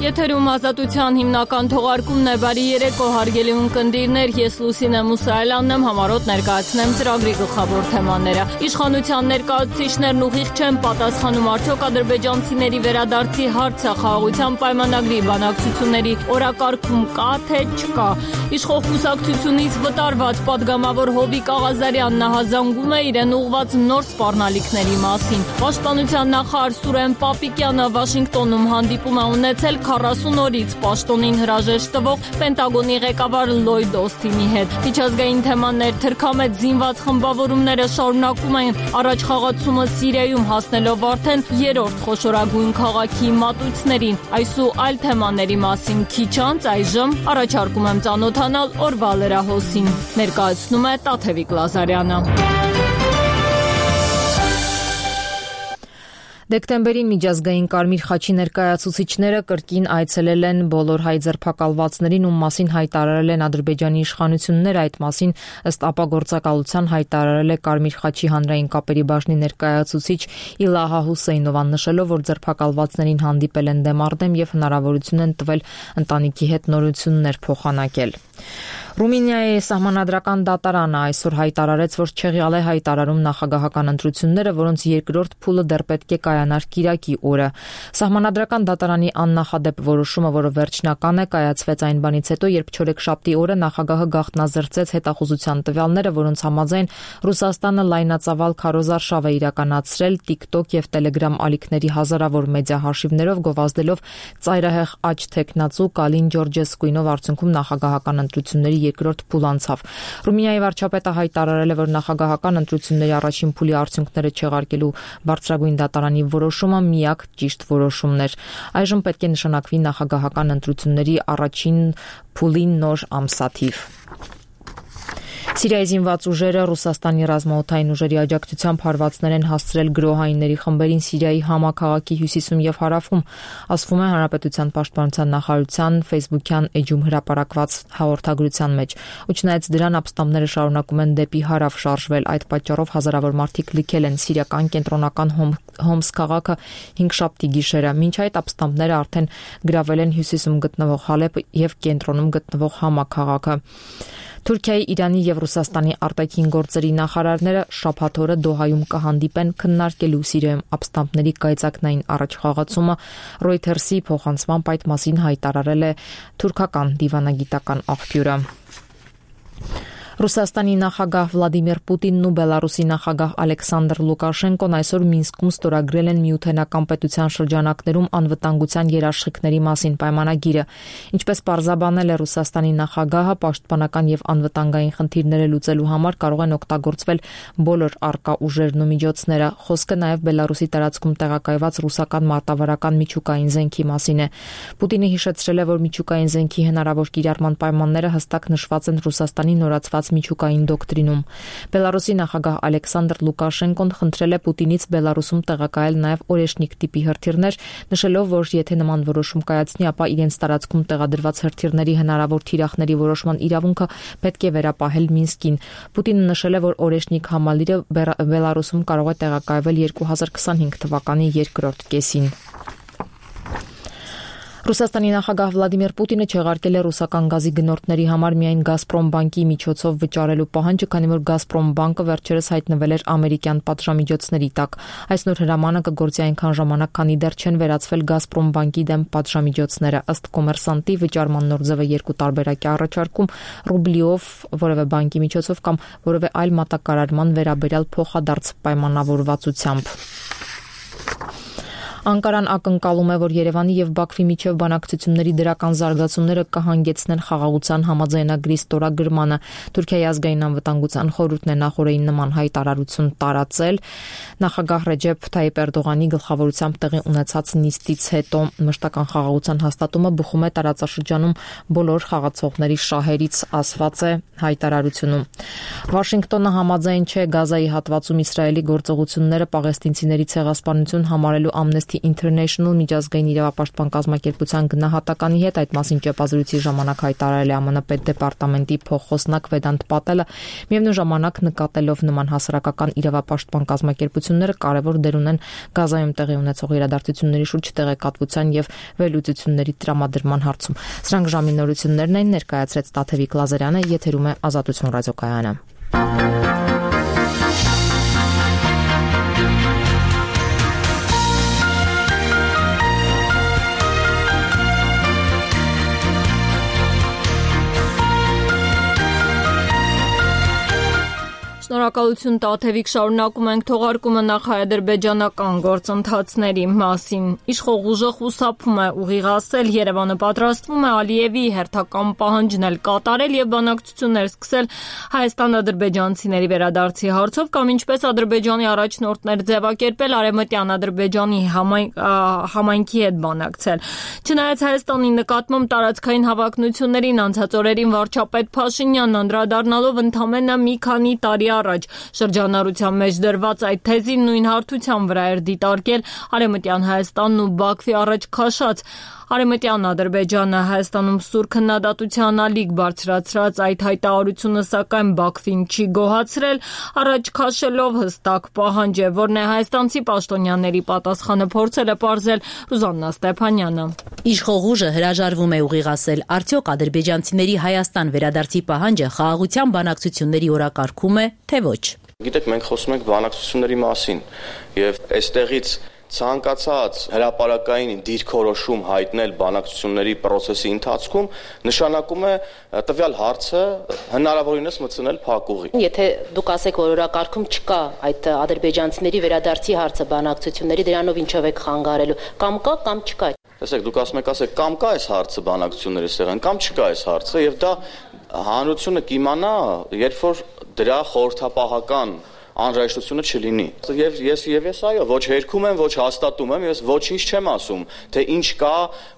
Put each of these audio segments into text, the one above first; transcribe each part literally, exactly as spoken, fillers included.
Եթերում ազատության հիմնական թողարկումն է, բարի երեկո հարգելի ունկնդիրներ, ես Լուսինե Մուսայելյանն եմ, համառոտ ներկայացնեմ ծրագրի գլխավոր թեմաները։ Իշխանության ներկայացուցիչներն ուղիղ չեն պատասխանում արդյոք ադրբեջանցիների վերադարձի հարցը խաղաղության պայմանագրի բանակցությունների օրակարգում կա թե չկա։ Իշխող կուսակցությունից վտարված պատգամավոր Հովիկ Աղազարյանն նահազանգում է իրեն ուղղված նոր սպառնալիքների մասին։ Պաշտպանության նախարար Սուրեն Պապիկյանը Վաշինգտոնում հանդիպում է ունեցել քառասուն օրից պաշտոնին հրաժեշտ տվող Պենտագոնի ղեկավար Լոյդ Օսթինի հետ։ Միջազգային թեմաներ թրքամեծ զինված խմբավորումները շարունակում են առաջխաղացումը Սիրիայում հասնելով արդեն երրորդ խոշորագույն քաղաքի մատույցներին։ Այս ու այլ թեմաների մասին քիչ անց այժմ առաջարկում եմ ծանոթանալ օրվա լրահոսին։ Ներկայացնում է Տաթևիկ Լազարյանը։ Դեկտեմբերին միջազգային Կարմիր խաչի ներկայացուցիչները կրկին այցելել են բոլոր հայ ձերբակալվածներին, ում մասին հայտարարել են Ադրբեջանի իշխանությունները։ Այդ մասին ըստ ապագործակալության հայտարարել է Կարմիր խաչի հանրային կապերի բաժնի ներկայացուցիչ Իլահա Հուսեյնովան, նշելով, որ ձերբակալվածներին հանդիպել են դեմ առ դեմ եւ հնարավորություն են տվել ընտանիքի հետ նորություններ փոխանակել։ Ռումինիայի սահմանադրական դատարանը այսօր հայտարարեց, որ չեղյալ է հայտարարում նախագահական ընտրությունները, որոնց երկրորդ փուլը դեռ պետք է կայանար կիրակի օրը։ Սահմանադրական դատարանի աննախադեպ որոշումը, որը վերջնական է, կայացվեց այն բանից հետո, երբ չորեքշաբթի օրը նախագահը գաղտնազրծեց հետախուզության տվյալները, որոնց համաձայն Ռուսաստանը լայնածավալ քարոզարշավ է իրականացրել TikTok եւ Telegram ալիքների հազարավոր մեդիա հաշիվներով, գովազդելով ծայրահեղ աջ թեկնածու Կալին Ջորջեսկուինով, արդյունքում նախագահական ընտրությունների երկրորդ փուլ անցավ։ Ռումինիայի վարչապետը հայտարարել է, որ նախագահական ընտրությունների առաջին փուլի արդյունքները չեղարկելու բարձրագույն դատարանի որոշումը միակ ճիշտ որոշումն էր։ Այժմ պետք է նշանակվի նախագահական ընտրությունների առաջին փուլի նոր ամսաթիվ։ Սիրիայի զինված ուժերը Ռուսաստանի ռազմաօդային ուժերի աջակցությամբ հարվածներ են հասցրել գրոհայինների խմբերին Սիրիայի Համա քաղաքի հյուսիսում եւ հարավում, ասվում է Հանրապետության պաշտպանության նախարարության ֆեյսբուքյան էջում հրապարակված հաղորդագրության մեջ։ Ու չնայած դրան, ապստամբները շարունակում են դեպի հարավ շարժվել։ Այդ պատճառով հազարավոր մարդիկ լքել են սիրիական կենտրոնական Հոմս քաղաքը հինգշաբթի գիշերը։ Մինչ այդ ապստամբները արդեն գրավել են հյուսիսում գտնվող Հալեպ եւ կենտրոնում գտնվող Համա քաղաքը։ Թուրքիայի, Իրանի եւ Ռուսաստանի արտաքին գործերի նախարարները շաբաթ օրը Դոհայում կհանդիպեն քննարկելու Սիրիայում ապստամբների կայծակնային առաջխաղացումը։ Reuters-ի փոխանցմամբ այդ մասին հայտարարել է թուրքական դիվանագիտական աղբյուրը։ Ռուսաստանի նախագահ Վլադիմիր Պուտինն ու Բելարուսի նախագահ Ալեքսանդր Լուկաշենկոն այսօր Մինսկում ստորագրել են միութենական պետության շրջանակներում անվտանգության երաշխիքների մասին պայմանագիրը։ Ինչպես պարզաբանել է Ռուսաստանի նախագահը, պաշտպանական եւ անվտանգային խնդիրները լուծելու համար կարող են օգտագործվել բոլոր առկա ուժերն ու միջոցները։ Խոսքը նաեւ Բելարուսի տարածքում տեղակայված ռուսական մարտավարական միջուկային զենքի մասին է։ Պուտինը հիշեցրել է, որ միջուկային զենքի հնարավոր կիրառման պայմանները հստակ նշված են Ռուսաստանի նորացված միջուկային դոկտրինում։ Բելարուսի նախագահ Ալեքսանդր Լուկաշենկոն խնդրել է Պուտինից Բելարուսում տեղակայել նաև օրեշնիկ տիպի հրթիռներ, նշելով, որ եթե նման որոշում կայացնի, ապա իրենց տարածքում տեղադրված հրթիռների հնարավոր թիրախների որոշման իրավունքը պետք է վերապահել Մինսկին։ Պուտինը նշել է, որ օրեշնիկ համալիրը Բելարուսում կարող է տեղակայվել երկու հազար քսանհինգ թվականի երկրորդ կեսին։ Ռուսաստանի նախագահ Վլադիմիր Պուտինը չեղարկել է ռուսական գազի գնորդների համար միայն Գազպրոմ բանկի միջոցով վճարելու պահանջը, քանի որ Գազպրոմ բանկը վերջերս հայտնվել էր ամերիկյան պատժամիջոցների տակ։ Այս նոր հրամանը կգործի այնքան ժամանակ, քանի դեռ չեն վերացվել Գազպրոմ բանկի դեմ պատժամիջոցները։ Ըստ Կոմերսանտի, վճարման նոր ձևը երկու տարբերակ է առաջարկում՝ ռուբլիով, որևէ բանկի միջոցով կամ որևէ այլ մատակարարման վերաբերյալ փոխադարձ պայմանավորվածությամբ։ Անկարան ակնկալում է, որ Երևանի եւ Բաքվի միջև բանակցությունների դրական զարգացումները կհանգեցնեն խաղաղության համաձայնագրի ստորագրմանը։ Թուրքիայի ազգային անվտանգության խորհուրդն է նախորդին նման հայտարարություն տարածել։ Նախագահ Ռեջեփ Թայիպ Էրդողանի գլխավորությամբ տեղի ունեցած նիստից հետո մշտական խաղաղության հաստատումը բխում է տարածաշրջանում բոլոր խաղացողների շահերից, ասված է հայտարարությունում։ Վաշինգտոնը համաձայն չէ Գազայի հատվածում Իսրայելի գործողությունները պաղեստինցիների ցեղասպանություն համարելու Ամնեստի Amnesty International միջազգային իրավապաշտպան կազմակերպության գնահատականի հետ այդ մասին ճեպազրույցի ժամանակ հայտարարել է ԱՄՆ պետդեպարտամենտի փոխխոսնակ Վեդանտ Պատելը, միևնույն ժամանակ նկատելով նման հասարակական իրավապաշտպան կազմակերպությունները կարևոր դեր ունեն Գազայում տեղի ունեցող իրադարձությունների շուրջ տեղեկատվության եւ վերլուծությունների տրամադրման հարցում։ Սրանք ժամի նորություններն են, ներկայացրեց Տաթևիկ Լազարյանը, եթերում է Ազատություն ռադիոկայանը։ Շնորհակալություն Տաթևիկ, շարունակում ենք թողարկումը նախ-ադրբեջանական գործընթացների մասին։ Իշխող ուժը խուսափում է ուղիղացել, Երևանը պատրաստվում է Ալիևի հերթական պահանջն էլ կատարել եւ բանակցություններ սկսել հայաստան-ադրբեջանցիների վերադարձի հարցով, կամ ինչպես Ադրբեջանի առաջնորդներ ձևակերպել Արևմտյան Ադրբեջանի համայնքի հետ բանակցել։ Չնայած Հայաստանի նկատմամբ տարածքային հավակնություններին անցած օրերին վարչապետ Փաշինյանն անդրադառնալով ընդամենը մի քանի տարի առաջ շրջանառության մեջ դրված այդ թեզին նույն հարթության վրա էր դիտարկել Արևմտյան Հայաստանն ու Բաքվի առաջ քաշած Արևմտյան Ադրբեջանը Հայաստանում սուր քննադատության ալիք բարձրացրած այդ հայտարարությունը, սակայն Բաքվին չի գոհացրել, առաջ քաշելով հստակ պահանջ է, որն է հայաստանցի պաշտոնյաների պատասխանը փորձել է պարզել Ռուզաննա Ստեփանյանը։ Իշխող ուժը հրաժարվում է ուղիղացել, արդյոք ադրբեջանցիների Հայաստան վերադարձի պահանջը խաղաղության բանակցությունների օրակարգում է, թե ոչ։ Գիտեք, մենք խոսում ենք բանակցությունների մասին եւ այստեղից ցանկացած հրապարակային դիրքորոշում հայտնել բանակցությունների process-ի ընթացքում նշանակում է տվյալ հարցը հնարավորինս մտցնել փակուղի։ Եթե դուք ասեք, որ օրակարգում չկա այդ ադրբեջանցիների վերադարձի հարցը բանակցությունների, դրանով ինչով եք խանգարելու, կամ կա, կամ չկա։ Տեսեք, դուք ասում եք, ասեք, կամ կա այս հարցը բանակցությունների ստեղան, կամ չկա այս հարցը, եւ դա հանրությունը կիմանա, երբ որ դրա խորհրդապահական անհրաժեշտությունը չլինի։ Եվ ես եւ ես այո, ոչ հերքում եմ, ոչ հաստատում եմ, ես ոչինչ չեմ ասում, թե ինչ կա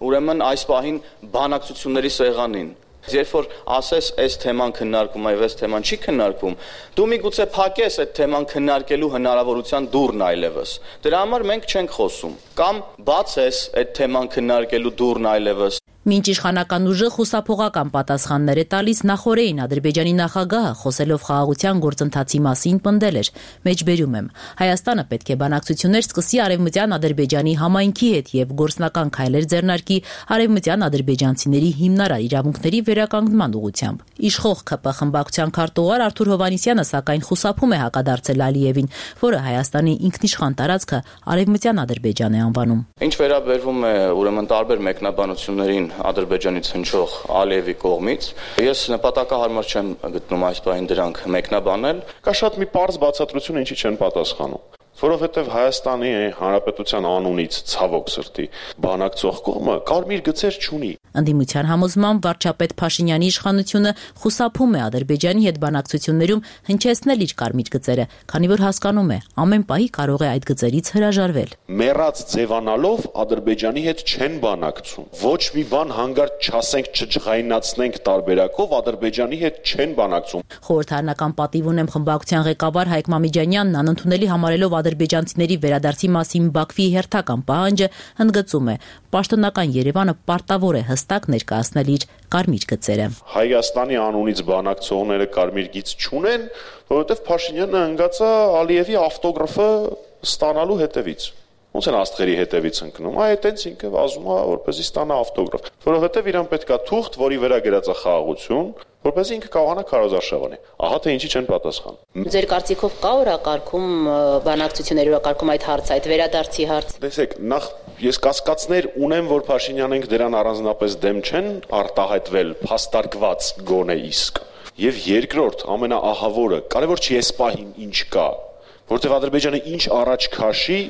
ուրեմն այս պահին բանակցությունների սեղանին։ Երբ որ ասես այս թեման քննարկում է եւ այս թեման չի քննարկվում, դու միգուցե փակես այդ թեման քննարկելու հնարավորության դուռն այլևս։ Դրա համար մենք չենք խոսում, կամ բացես այդ թեման քննարկելու դուռն այլևս։ Մինչ իշխանական ուժը խուսափողական պատասխաններ է տալիս, նախորդին Ադրբեջանի նախագահը խոսելով խաղաղության գործընթացի մասին պնդել էր. «Մեջբերում եմ, Հայաստանը պետք է բանակցություններ սկսի Արևմտյան Ադրբեջանի համայնքի հետ եւ գործնական քայլեր ձեռնարկի արևմտյան ադրբեջանցիների հիմնարար իրավունքների վերականգնման ուղղությամբ»։ Իշխող ՔՊ խմբակցության քարտուղար Արթուր Հովհաննիսյանը սակայն խուսափում է հակադարձել Ալիևին, որը Հայաստանի ինքնիշխան տարածքը Արևմտյան Ադրբեջան է անվանում։ Ինչ վերաբերվում է ուրեմն տարբեր մեկնաբանություններին Ադրբեջանից հնչող Ալիևի կողմից, ես նպատակահարմար չեմ գտնում այս բանին դրանք մեկնաբանել։ Կա շատ մի պարզ բացատրություն, ինչի չեն պատասխանում։ Որովհետև Հայաստանի Հանրապետության անունից ցավոք սրտի բանակցող կողմը կարմիր գծեր չունի։ Ընդդիմության համոզմամբ վարչապետ Փաշինյանի իշխանությունը խուսափում է Ադրբեջանի հետ բանակցություններում հնչեցնել իր կարմիր գծերը, քանի որ հասկանում է, ամեն պահի կարող է այդ գծերից հրաժարվել։ Մեռած ձևանալով Ադրբեջանի հետ չեն բանակցում։ Ոչ մի բան հանգարտ չասենք, չջղայնացնենք տարբերակով Ադրբեջանի հետ չեն բանակցում։ Խորհրդարանական պատիվ ունեմ խմբակցության ղեկավար Հայկ Մամիջանյանն անընդունելի համարելով ադրբեջանցիների վերադարձի մասին Բաքվի հերթական պահանջը ընդգծում է. պաշտոնական Երևանը պարտավոր է հստակ ներկայացնել իր կարմիր գծերը։ Հայաստանի անունից բանակցողները կարմիր գիծ չունեն, որովհետև Փաշինյանը ընկած է Ալիևի ավտոգրաֆը ստանալու հետևից։ Ոնց են աստղերի հետևից ընկնում։ Այ այտենց ինքը վազում է, որպեսզի ստանա ավտոգրաֆ։ Որովհետև իրան պետքա թուղթ, որի վրա գրած է խաղաղություն, որպեսզի ինքը կարողանա քարոզարշավանի։ Ահա թե ինչի չեն պատասխանում։ Ձեր կարծիքով կա օրակարգում բանակցությունների օրակարգում այդ հարցը, այդ վերադարձի հարցը։ Տեսեք, նախ ես կասկածներ ունեմ, որ Փաշինյանենք դրան առանձնապես դեմ չեն արտահայտվել, փաստարկված գոնե իսկ։ Եվ երկրորդ, ամենաահավորը, կարևոր չի այս պահին ինչ կա, որտեղ Ադրբեջանը ինչ առաջ քաշի,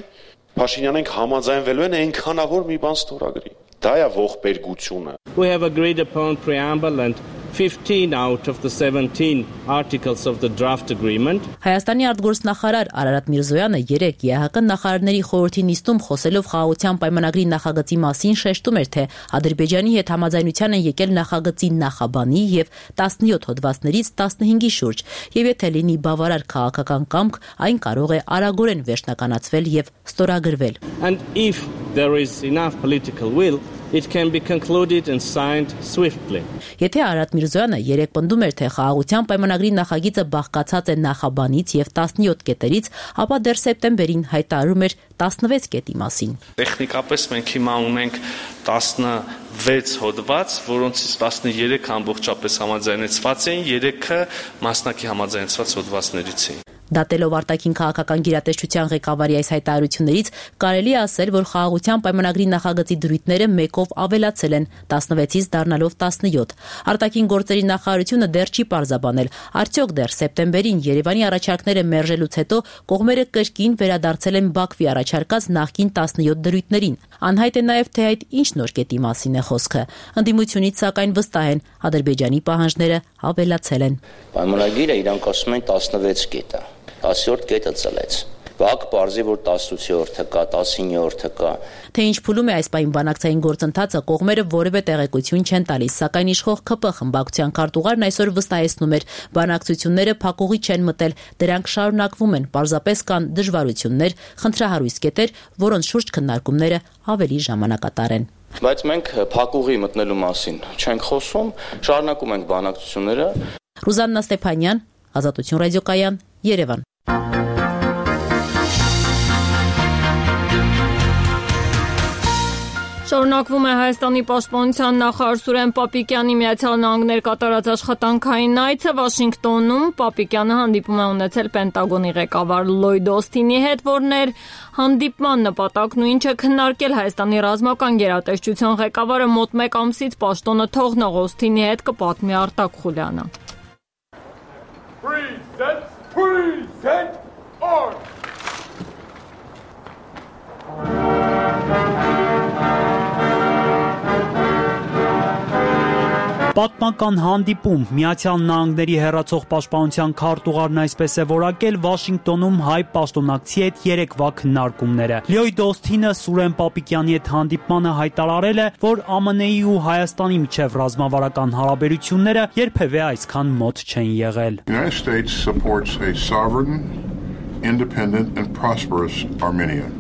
Փաշինյանենք համաձայնվելու են այնքանավոր մի բան ստորագրի։ Դա է ողբերգությունը։ We have agreed upon preamble and fifteen out of the seventeen articles of the draft agreement. Հայաստանի արտգործնախարար Արարատ Միրզոյանը երեկ Է Հ Կ նախարարների խորհրդի նիստում խոսելով խաղաղության պայմանագրի նախագծի մասին շեշտում էր, թե Ադրբեջանի հետ համաձայնության են եկել նախագծի նախաբանի եւ տասնյոթ հոդվածներից տասնհինգի շուրջ, եւ եթե լինի բավարար քաղաքական կամք, այն կարող է արագորեն վերջնականացվել եւ ստորագրվել։ And if there is enough political will, it can be concluded and signed swiftly. Եթե Արարատ Միրզոյանը երեք պնդում էր, թե խաղաղության պայմանագրի նախագիծը բաղկացած է նախաբանից եւ տասնյոթ կետերից, ապա դեռ սեպտեմբերին հայտարարում էր տասնվեց կետի մասին։ Տեխնիկապես մենք հիմա ունենք տասնվեց հոդված, որոնցից տասներեք ամբողջապես համաձայնեցված էին, երեքը մասնակի համաձայնեցված հոդվածներից էին։ Դատելով արտաքին քաղաքական գերատեսչության ղեկավարի այս հայտարարություններից կարելի է ասել, որ խաղաղության պայմանագրի նախագծի դրույթները մեկով ավելացել են, տասնվեցից դառնալով տասնյոթ։ Արտաքին գործերի նախարարությունը դեռ չի պարզաբանել, արդյոք դեռ սեպտեմբերին Երևանի առաջարկները մերժելուց հետո կողմերը կրկին վերադարձել են Բաքվի առաջարկած նախկին տասնյոթ դրույթներին։ Անհայտ է նաև, թե այդ ինչ նոր կետի մասին է խոսքը։ Ընդդիմությունից սակայն վստահ են, Ադրբեջանի պահանջները ավելացել են։ Պայմանագիրը իրանք ասում են տասնվեց կետ է, տասնյոթ կետը ծլեց։ Բաք պարզի, որ տասնութը կա, տասնինը կա։ Թե ինչ փուլում է այս պահին բանակցային գործընթացը, կողմերը որևէ տեղեկություն չեն տալիս, սակայն իշխող ՔՊ խմբակցության քարտուղարն այսօր վստահեցնում էր, բանակցությունները փակուղի չեն մտել, դրանք շարունակվում են, պարզապես կան դժվարություններ, խնդրահարույց կետեր, որոնց շուրջ քննարկումները ավելի ժամանակատար են։ Բայց մենք փակուղի մտնելու մասին չենք խոսում, շարունակում ենք բանակցությունները։ Ռուզաննա Ստեփանյան, Ազատություն ռադիոկայան, Երևան։ Շարունակվում է Հայաստանի պաշտպանության նախարար Սուրեն Պապիկյանի Միացյալ Նահանգներ կատարած աշխատանքային այցը Վաշինգտոնում։ Պապիկյանը հանդիպում է ունեցել Պենտագոնի ղեկավար Լոյդ Օսթինի հետ, որն էր հանդիպման նպատակն ու ինչը քննարկել Հայաստանի ռազմական գերատեսչության ղեկավարը մոտ մեկ ամսից պաշտոնը թողնող Օսթինի հետ կպատմի Արտակ Խուլյանը։ Present, present, arms! Պատմական հանդիպում Միացյալ Նահանգների հեռացող պաշտպանության քարտուղարն այսպես է որակել Վաշինգտոնում հայ պաշտոնակցի հետ երեկվա քննարկումները։ Լյոյդ Օսթինը Սուրեն Պապիկյանի հետ հանդիպմանը հայտարարել է, որ ԱՄՆ-ի ու Հայաստանի միջև ռազմավարական հարաբերությունները երբևէ այսքան մոտ չեն եղել։ The United States supports a sovereign, independent and prosperous Armenia.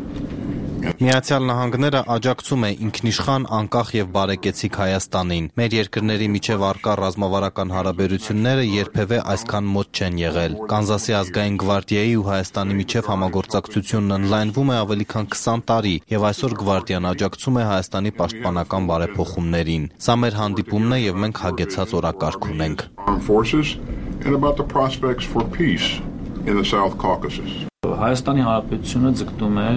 Միացյալ Նահանգները աջակցում է ինքնիշխան, անկախ եւ բարեկեցիկ Հայաստանին։ Մեր երկրների միջև առկա ռազմավարական հարաբերությունները երբևէ այսքան մոտ չեն եղել։ Կանզասի ազգային գվարդիայի ու Հայաստանի միջև համագործակցությունն ընդլայնվում է ավելի քան քսան տարի եւ այսօր գվարդիան աջակցում է Հայաստանի պաշտպանական բարեփոխումներին։ Սա մեր հանդիպումն է եւ մենք հագեցած օրակարգ ունենք։ In the South Caucasus. Հայաստանի Հանրապետությունը ձգտում է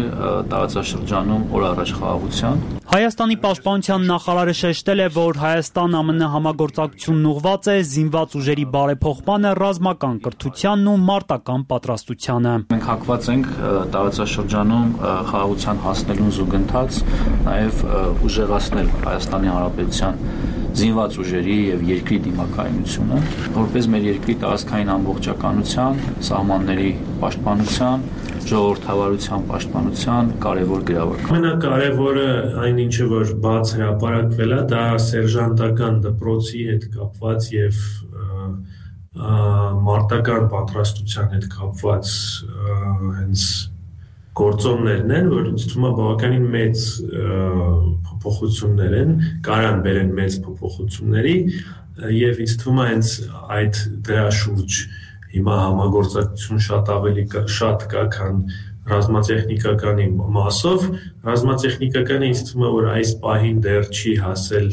տարածաշրջանում օր առաջ խաղաղության։ Հայաստանի պաշտպանության նախարարը շեշտել է, որ Հայաստան-ԱՄՆ համագործակցությունն ուղղված է զինված ուժերի բարեփոխմանը, ռազմական կրթությանն ու մարտական պատրաստությանը։ Մենք հակված ենք տարածաշրջանում խաղաղության հասնելուն զուգընթաց, նաև ուժեղացնել Հայաստանի Հանրապետության զինված ուժերի եւ երկրի դիմակայունությունը, որպես մեր երկրի տարածքային ամբողջականության, սահմանների պաշտպանության, ժողովրդավարության պաշտպանության կարևոր գրավար։ Ամենակարևորը այն ինչը որ բաց հրապարակվել է, դա սերժանտական դպրոցի հետ կապված եւ մարտական պատրաստության հետ կապված հենց գործոններն են, որ ինձ թվում է բավականին մեծ փոփոխություններ են, կարան բերեն մեծ փոփոխությունների եւ ինձ թվում է հենց այդ դրա շուրջ հիմա համագործակցություն շատ ավելի շատ կա, քան ռազմատեխնիկականի մասով։ Ռազմատեխնիկականը ինձ թվում է, որ այս պահին դեռ չի հասել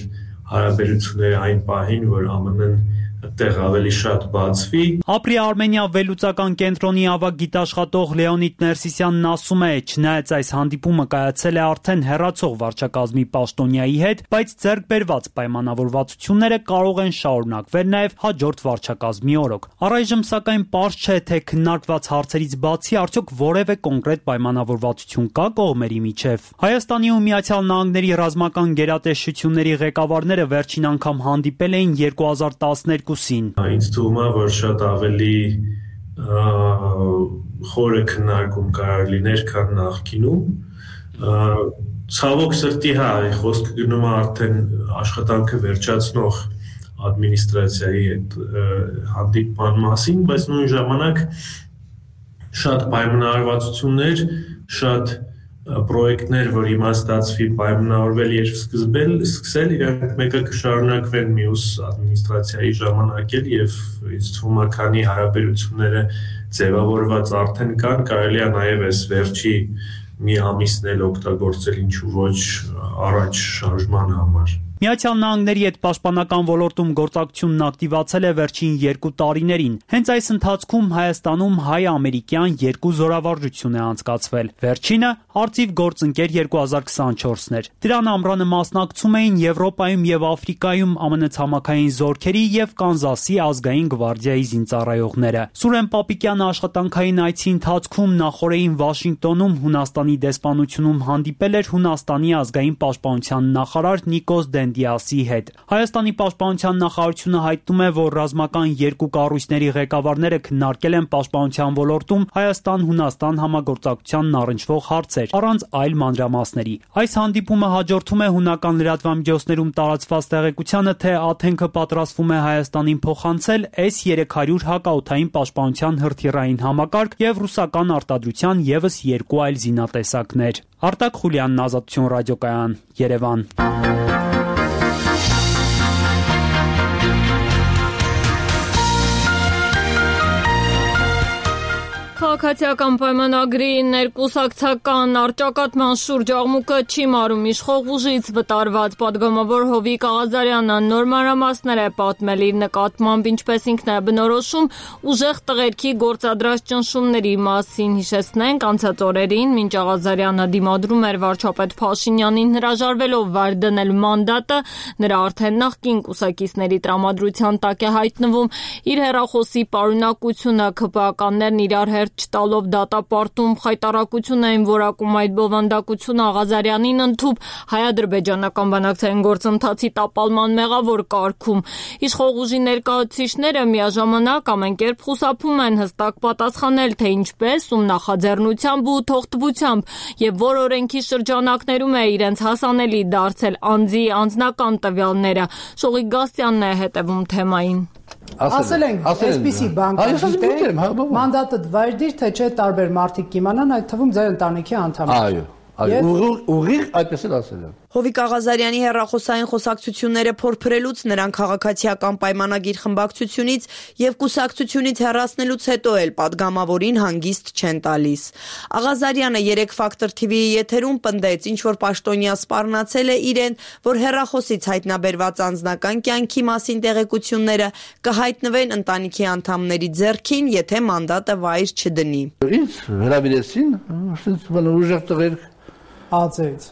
հարաբերությունները այն պահին, որ ԱՄՆ-ն այդտեղ ավելի շատ բացվի։ Ապրի Արմենիա վերլուծական կենտրոնի ավագ գիտաշխատող Լեոնիդ Ներսիսյանն ասում է, չնայած այս հանդիպումը կայացել է արդեն հեռացող վարչակազմի պաշտոնյայի հետ, բայց ձեռք բերված պայմանավորվածությունները կարող են շարունակվել նաև հաջորդ վարչակազմի օրոք։ Առայժմ սակայն պարզ չէ, թե քննարկված հարցերից բացի արդյոք որևէ կոնկրետ պայմանավորվածություն կա կողմերի միջև։ Հայաստանի ու Միացյալ Նահանգների ռազմական գերատեսչությունների ղեկավարները վերջին անգամ հանդիպել էին երկու հազար տասներկու Ինձ թվում է, որ շատ ավելի խորը քննարկում կարող լիներ, քան նախկինում։ Ցավոք սրտի, հա, խոսքը գնում է արդեն աշխատանքը վերջացնող ադմինիստրացիայի հետ հանդիպման մասին, բայց նույն ժամանակ շատ պայմանավորվածություններ, շատ պրոյեկտներ, որ հիմա ստացվի պայմանավորվել եւ սկսել, սկսել իրանք մեկը կշարունակվեն մյուս ադմինիստրացիայի ժամանակ էլ եւ ինձ թվում է քանի հարաբերությունները ձևավորված արդեն կան, կարելի է նաեւ այս վերջի մի ամիսն էլ օգտագործել ինչու ոչ առաջ շարժման համար։ Միացյալ Նահանգների հետ պաշտպանական ոլորտում գործակցությունն ակտիվացել է վերջին երկու տարիներին։ Հենց այս ընթացքում Հայաստանում հայ-ամերիկյան երկու զորավարժություն է անցկացվել։ Վերջինը Արծիվ գործընկեր երկու հազար քսանչորսն էր։ Դրան ամռանը մասնակցում էին Եվրոպայում եւ Աֆրիկայում ԱՄՆ ցամաքային զորքերի եւ Կանզասի ազգային գվարդիայի զինծառայողները։ Սուրեն Պապիկյանը աշխատանքային այցի ընթացքում նախորդին Վաշինգտոնում Հունաստանի դեսպանությունում հանդիպել էր Հունաստանի ազգային պաշտպանության նախարար Նիկոս Դիասի հետ։ Հայաստանի պաշտպանության նախարարությունը հայտնում է, որ ռազմական երկու կառույցների ղեկավարները քննարկել են պաշտպանության ոլորտում Հայաստան-Հունաստան համագործակցությանն առնչվող հարցեր, առանց այլ մանրամասների։ Այս հանդիպումը հաջորդում է հունական լրատվամիջոցներում տարածված տեղեկությանը, թե Աթենքը պատրաստվում է Հայաստանին փոխանցել էս երեք հարյուր հակաօդային պաշտպանության հրթիռային համակարգ եւ ռուսական արտադրության եւս երկու այլ զինատեսակներ։ Արտակ Խուլյանն, Ազատություն ռադիոկայան, Երևան։ Քաղաքացիական պայմանագրի ներկուսակցական առճակատման շուրջ աղմուկը չի մարում իշխող ուժից վտարված պատգամավոր Հովիկ Աղազարյանը նոր մանրամասներ է պատմել իր նկատմամբ, ինչպես ինքն է բնորոշում ուժեղ տղերքի գործադրած ճնշումների մասին։ Հիշեցնենք, անցած օրերին, մինչ Աղազարյանը դիմադրում էր վարչապետ Փաշինյանին հրաժարվելով վար դնել մանդատը, նրա արդեն նախկին կուսակիցների տրամադրության տակ է հայտնվում իր հեռախոսի պարունակությունը, ՔՊԱ-ականներն իրար հերթ չտալով դատապարտում խայտարակություն էին որակում այդ բովանդակությունը Աղազարյանին ընդཐུպ հայ-ադրբեջանական բանակցային գործընթացի տապալման մեղավոր կարգում։ Իշխող ուժի ներկայացուցիչները միաժամանակ ամեն կերպ խուսափում են հստակ պատասխանել, թե ինչպես, ում նախաձեռնությամբ ու թողտվությամբ եւ որ օրենքի շրջանակներում է իրենց հասանելի դարձել անձի անձնական տվյալները։ Շողիկ Գաստյանն է հետևում թեմային։ Ասել ենք, այսպիսի բան կա, մանդատը դվայրդիր, թե չէ տարբեր մարդիկ կիմանան, այդ թվում ձեր ընտանիքի անդամներ։ Այո, ուղիղ այդպես էլ ասել եմ։ Հովիկ Աղազարյանի հեռախոսային խոսակցությունները փորփրելուց, նրան քաղաքացիական պայմանագիր խմբակցությունից եւ կուսակցությունից հեռացնելուց հետո էլ պատգամավորին հանգիստ չեն տալիս։ Աղազարյանը երեք Factor T V-ի եթերում պնդեց, ինչ որ պաշտոնյա սպառնացել է իրեն, որ հեռախոսից հայտնաբերված անձնական կյանքի մասին տեղեկությունները կհայտնվեն ընտանիքի անդամների ձեռքին, եթե մանդատը վայր չդնի։ Ինձ հրավիրեցին, ուժեղ տղեր Ածեց։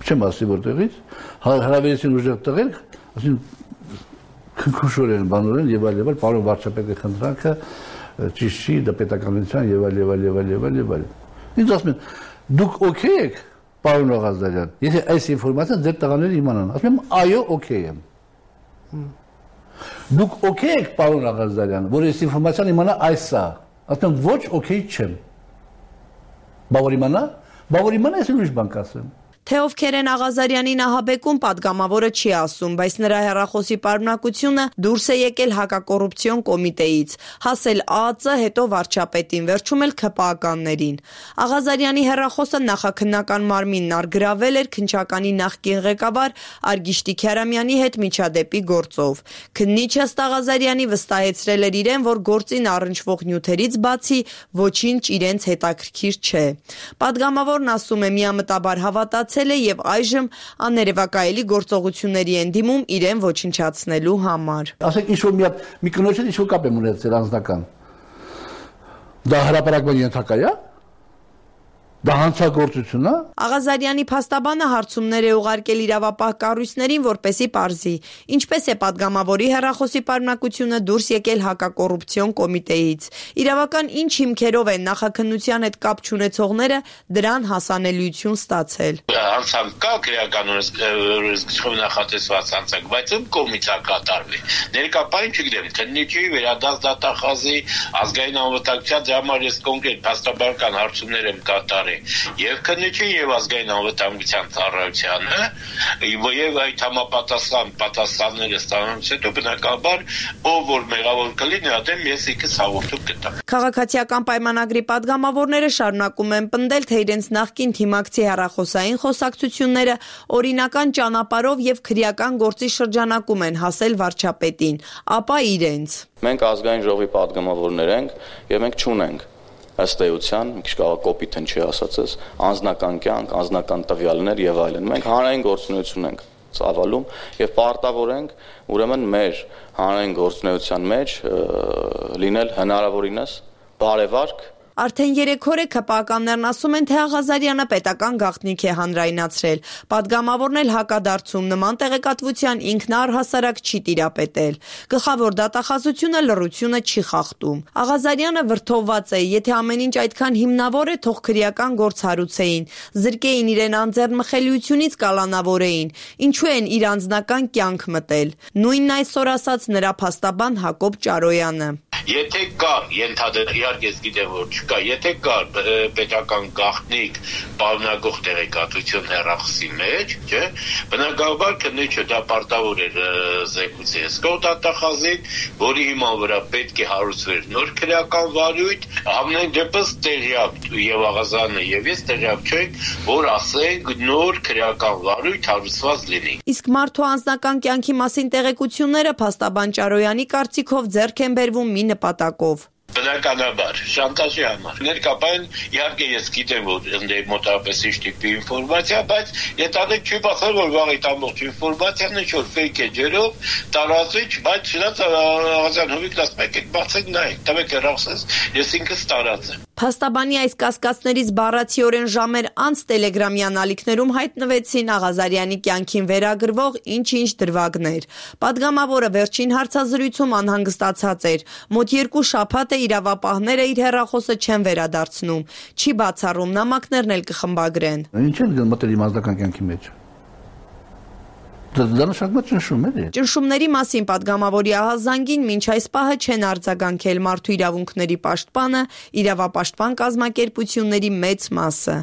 Չեմ ասի որտեղից, հրավիրեցին ուժեղ տղեր, ասին քնքուշորեն բանորեն եւ այլ եւ այլ, պարոն վարչապետի խնդրանքը ճիշտ չի, դա պետականության եւ այլ եւ այլ եւ այլ եւ այլ եւ այլ։ Ինձ ասում են, դուք օքեյ եք, պարոն Աղազարյան, եթե այս ինֆորմացիան ձեր տղաները իմանան։ Ասում եմ, այո, օքեյ եմ։ Դուք օքեյ եք, պարոն Աղազարյան, որ այս ինֆորմացիան իմանա այսա։ Ասում եմ, ոչ, օքեյ չեմ։ Բա որ իմանա Բա որ իմանա ես ուրիշ բան կասեմ։ Թե ովքեր են Աղազարյանի նահաբեկում, պատգամավորը չի ասում, բայց նրա հեռախոսի պարունակությունը դուրս է եկել հակակոռուպցիոն կոմիտեից, հասել Ա Ծ, հետո վարչապետին, վերջում էլ ՔՊԱ-ականներին։ Աղազարյանի հեռախոսը նախաքննական մարմինն առգրավել էր քննչականի նախկին ղեկավար Արգիշտի Քյարամյանի հետ միջադեպի գործով։ Քննիչը ըստ Աղազարյանի վստահեցրել էր իրեն, որ գործին առնչվող նյութերից բացի ոչինչ իրենց հետաքրքիր չէ։ Պատգամավորն ասում է, միամտաբար հավատաց եւ այժմ աներևակայելի գործողությունների են դիմում իրեն ոչնչացնելու համար։ Ասեք ինչ որ մի հատ մի կնոջ հետ ինչ որ կապ եմ ունեցել անձնական։ Դա հրապարակման ենթակա է։ Դա հանցագործություն է։ Աղազարյանի փաստաբանը հարցումներ է ուղարկել իրավապահ կառույցներին, որպեսզի պարզի, ինչպես է պատգամավորի հեռախոսի պարունակությունը դուրս եկել հակակոռուպցիոն կոմիտեից։ Իրավական ինչ հիմքերով են նախաքննության հետ կապ չունեցողները դրան հասանելիություն ստացել։ Հանցանք կա քրեականորեն նախատեսված հանցանք, բայց ում կողմից է կատարվի։ Ներկայապային չգիտեմ, քննիչի վերադարձ դատախազի ազգային անվտանգության համար ես կոնկրետ փաստաբանական հարցումներ եմ կատարել։ եւ քննիչին եւ ազգային անվտանգության ծառայությանը եւ այդ համապատասխան պատասխանները ստանալուց հետո բնականաբար ով որ մեղավոր կլինի ադեմ ես ինքս հաղորդում կտամ։ Քաղաքացիական պայմանագրի падգամավորները շարունակում են պնդել, թե իրենց նախկին թիմակցի հեռախոսային խոսակցությունները օրինական ճանապարհով եւ քրեական գործի շրջանակում են հասել վարչապետին, ապա իրենց։ Մենք ազգային ժողովի падգամավորներ ենք եւ մենք չունենք ըստ էության, մի քիչ կարող կոպիտ են չի ասածս, անձնական կյանք, անձնական տվյալներ եւ այլն։ Մենք հանրային գործունեություն ենք ծավալում եւ պարտավոր ենք ուրեմն մեր հանրային գործունեության մեջ լինել հնարավորինս բարեվարկ։ Արդեն երեք օր է ՔՊԱ-ականներն ասում են, թե Աղազարյանը պետական գաղտնիք է հանրայնացրել։ Պատգամավորն էլ հակադարձում նման տեղեկատվության ինքն առհասարակ չի տիրապետել։ Գլխավոր դատախազությունը լռությունը չի խախտում։ Աղազարյանը վրդովված է, եթե ամեն ինչ այդքան հիմնավոր է, թող քրեական գործ հարուցեին, զրկեին իրեն անձեռնմխելիությունից կալանավորեին, ինչու են իր անձնական կյանք մտել։ Նույնն այսօր ասաց նրա փաստաբան Հակոբ Ճարոյանը։ Եթե կար, ենթադրել, իհարկե ես գիտեմ, որ չկա, եթե կար պետական գաղտնիք պարունակող տեղեկատվություն հեռախոսի մեջ, չէ, բնականաբար քննիչը դա պարտավոր էր զեկուցի հսկող դատախազին, որի հիման վրա պետք է հարուցվեր նոր քրեական վարույթ, ամեն դեպս տեղյակ եւ Աղազարյանը եւ ես տեղյակ չենք, որ ասենք նոր քրեական վարույթ հարուցված լինի։ Իսկ մարդու անձնական կյանքի մասին տեղեկությունները փաստաբան Ճարոյանի կարծիքով ձեռք են բերվում մի նպատակով։ Բնականաբար, շանտաժի համար։ Ներկայապես իհարկե ես գիտեմ, որ ընդ մոտավորապես ինչ տիպի ինֆորմացիա, բայց ենթադրենք չի բացել, որ վաղից ամբողջ ինֆորմացիան ինչ որ ֆեյք է ջերով, տարածիչ, բայց չնայած Աղազարյան հովիկն ասում եք, բացեք նայեք, տվեք հեռախոսս, ես ինքս տարածեմ։ Փաստաբանի այս կասկածներից բառացիորեն ժամեր անց Տելեգրամյան ալիքներում հայտնվեցին Աղազարյանի կյանքին վերագրվող ինչ-ինչ դրվագներ։ Պատգամավորը վերջին հարցազրույցում անհանգստացած էր։ Մոտ երկու շաբաթ է իրավապահները իր հեռախոսը չեն վերադարձնում։ Չի բացառում նամակներն էլ կխմբագրեն։ Ինչ են մտել իմ անձնական կյանքի մեջ։ Դա նշանակում է ճնշում է։ Ճնշումների մասին պատգամավորի ահազանգին մինչ այս պահը չեն արձագանքել մարդու իրավունքների պաշտպանը, իրավապաշտպան կազմակերպությունների մեծ մասը։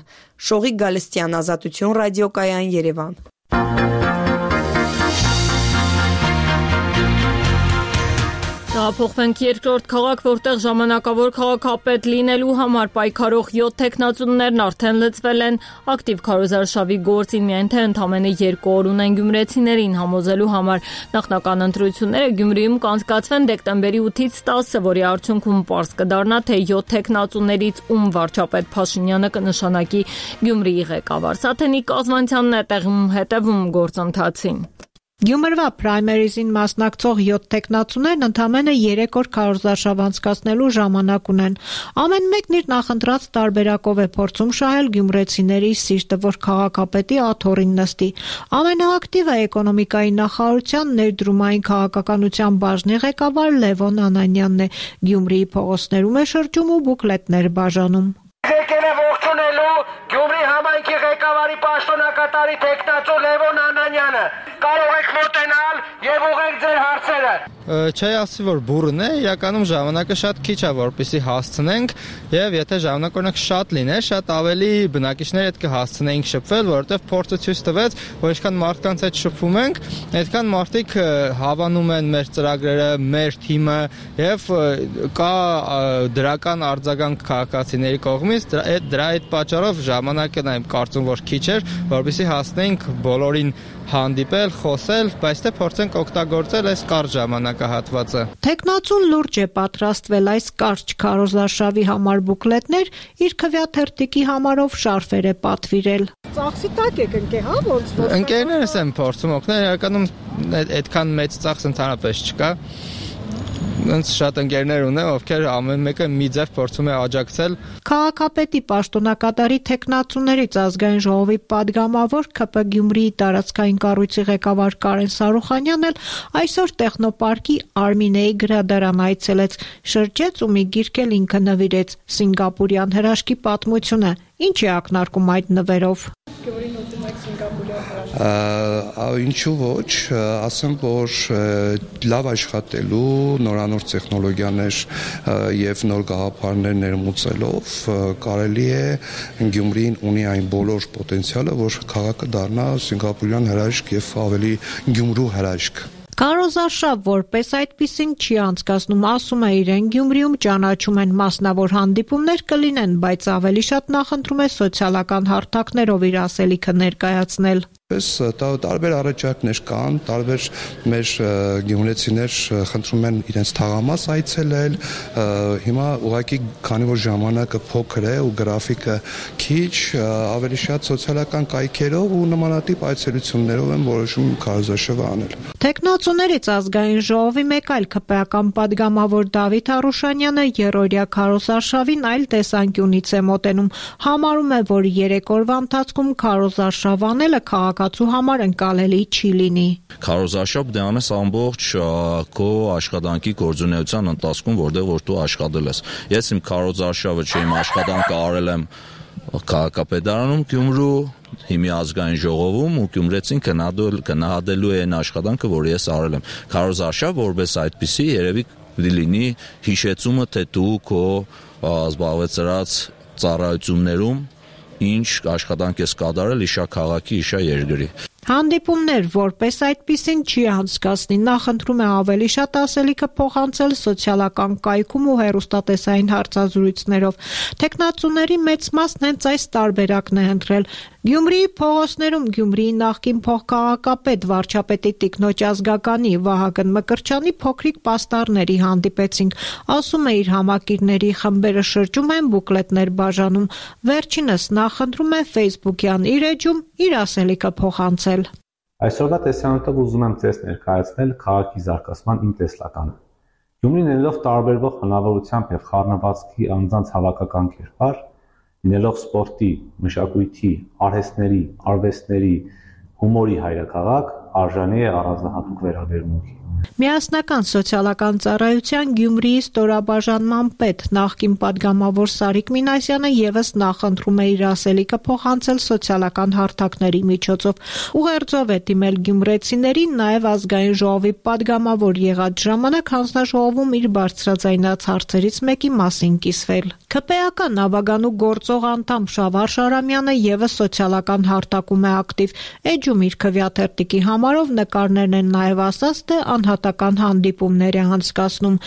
Շողիկ Գալստյան, Ազատություն ռադիոկայան, Երևան։ Տեղափոխվենք երկրորդ քաղաք, որտեղ ժամանակավոր քաղաքապետ լինելու համար պայքարող յոթ տեխնացուներն արդեն լծվել են։ Ակտիվ քարոզարշավի գործին միայն թե ընդամենը երկու օր ունեն գյումրեցիներին համոզելու համար։ Նախնական ընտրությունները Գյումրիում կանցկացվեն դեկտեմբերի ութից տասը, որի արդյունքում պարզ կդառնա, թե յոթ տեխնացուներից ում վարչապետ Փաշինյանը կնշանակի Գյումրիի ղեկավար։ Սաթենիկ Կազմանցյանն է տեղում հետևում գործընթացին։ Գյումրվա պրայմերիզին մասնակցող յոթ տեխնացուներն ընդամենը երեք օր քարոզարշավ անցկացնելու ժամանակ ունեն։ Ամեն մեկն իր նախընտրած տարբերակով է փորձում շահել գյումրեցիների սիրտը, որ քաղաքապետի աթոռին նստի։ Ամենաակտիվը էկոնոմիկայի նախարարության ներդրումային քաղաքականության բաժնի ղեկավար Լևոն Անանյանն է։ Գյումրիի փողոցներում է շրջում ու բուկլետներ բաժանում։ Եկել է ողջունելու Գյումրի համայնքի ղեկավարի պաշտոնակատարի տեխնացու Լևոն Անանյանը։ Կարող եք մոտենալ եւ ուղղեք ձեր հարցերը։ Չէ, ասի որ բուրն է, իրականում ժամանակը շատ քիչ է, որպեսզի հասցնենք, եւ եթե ժամանակը օրինակ շատ լիներ, շատ ավելի բնակիչների հետ կհասցնեինք շփվել, որովհետեւ փորձը ցույց տվեց, որ ինչքան մարդկանց հետ շփվում ենք, այդքան մարդիկ հավանում են մեր ծրագրերը, մեր թիմը եւ կա դրական արձագանք քաղաքացիների կողմից, դրա այդ պատճառով ժամանակը նայեմ կարծում որ քիչ էր, որպեսզի հասնենք բոլորին հանդիպել, խոսել, բայց թե փորձենք օգտագործել այս կարճ ժամանակահատվածը։ Տեխնացուն լուրջ է պատրաստվել այս կարճ քարոզարշավի համար բուկլետներ, իր քվեաթերթիկի համարով շարֆեր է պատվիրել։ Ծախսի տակ եք ընկե, հա, ոնց որ։ Ընկերներս են փորձում օգնել, իրականում այդքան մեծ ծախս ընդհանրապես չկա։ Ինձ շատ ընկերներ ունեմ, ովքեր ամեն մեկը մի ձև փորձում է աջակցել։ Քաղաքապետի պաշտոնակատարի տեխնացուներից ազգային ժողովի падգամավոր ՔՊ Գյումրիի տարածքային կառույցի ղեկավար Կարեն Սարուխանյանն էլ այսօր տեխնոպարկի Արմինեի գրադարան այցելեց, շրջեց ու մի գիրք էլ ինքը նվիրեց Սինգապուրյան հրաշքի պատմությունը։ Ինչ է ակնարկում այդ նվերով։ Գյումրին ուտում եք Ինչու ոչ, ասեմ, որ լավ աշխատելու նորանոր տեխնոլոգիաներ եւ նոր գաղափարներ ներմուծելով կարելի է Գյումրին ունի այն բոլոր պոտենցիալը, որ քաղաքը դառնա սինգապուրյան հրաշք եւ ավելի Գյումրու հրաշք։ Կարոզ Արշավ որպես այդպիսին չի անցկացնում, ասում է իրեն Գյումրիում ճանաչում են մասնավոր հանդիպումներ կլինեն, բայց ավելի շատ նախընտրում է սոցիալական հարթակներով իր ասելիքը ներկայացնել։ Տարբեր առաջարկներ կան, տարբեր մեր գյումրեցիներ խնդրում են իրենց թաղամաս այցելել, հիմա ուղղակի քանի որ ժամանակը փոքր է ու գրաֆիկը քիչ, ավելի շատ սոցիալական կայքերով ու նմանատիպ այցելություններով են որոշում քարոզարշավը անել։ Տեխնացուներից ազգային ժողովի մեկ այլ ՔՊ-ական падգամավոր Դավիթ Արուշանյանը երրորդյա քարոզարշավին այլ տեսանկյունից է մոտենում, համարում է, որ երեք օրվա ընթացքում քարոզարշավ անելը քաղաքացու համար ընկալելի չի լինի։ Քարոզարշավ դե անես ամբողջ քո աշխատանքի գործունեության ընթացքում, որտեղ որ դու աշխատել ես։ Ես իմ քարոզարշավը չեմ աշխատանքը արել եմ քաղաքապետարանում Գյումրու, հիմի ազգային ժողովում ու գյումրեցին գնահատելու է այն աշխատանքը, որ ես արել եմ։ Քարոզարշավ որպես այդպիսի երևի լինի հիշեցումը, թե դու քո զբաղեցրած ծառայություններում ինչ աշխատանք ես կատարել իշա քաղաքի, իշա երկրի։ Հանդիպումներ որպես այդպիսին չի անցկացնի, նախընտրում է ավելի շատ ասելիքը փոխանցել սոցիալական կայքում ու հեռուստատեսային հարցազրույցներով։ Տեխնացուների մեծ մասն հենց այս տարբերակն է ընտրել։ Գյումրիի փողոցներում Գյումրիի նախկին փոխքաղաքապետ վարչապետի տիկնոջ ազգականի Վահագն Մկրտչյանի փոքրիկ պաստառների հանդիպեցինք, ասում է իր համակիրների խմբերը շրջում են, բուկլետներ բաժանում, վերջինս նախընտրում է Facebook-յան իր էջում իր ասելիքը փոխանցել։ Այսօրվա տեսանյութով ուզում եմ ձեզ ներկայացնել քաղաքի զարգացման իմ տեսլականը։ Գյումրին ելնելով տարբերվող հնարավորությամբ եւ խառնվածքի անձանց հավաքական կերպար, լինելով սպորտի, մշակույթի, արհեստների, արվեստների, հումորի հայրաքաղաք, արժանի է առանձնահատուկ վերաբերմունքի։ Միասնական սոցիալական ծառայության Գյումրիի ստորաբաժանման պետ նախկին падգամավոր Սարիկ Մինասյանը եւս նախընտրում է իր ասելիքը փոխանցել սոցիալական հարթակների միջոցով։ Ուղերձով է դիմել գյումրեցիներին, նաեւ ազգային ժողովի падգամավոր եղած ժամանակ հանձնաժողովում իր բարձրաձայնած հարցերից մեկի մասին կիսվել։ ՔՊ-ական Նավագանու գործող անդամ Շավար Շարամյանը եւս սոցիալական հարթակում է ակտիվ։ Էջում իր քվեաթերթիկի համարով նկարներն են նաեւ ասած, թե անհատական հանդիպումներ է անցկացնում։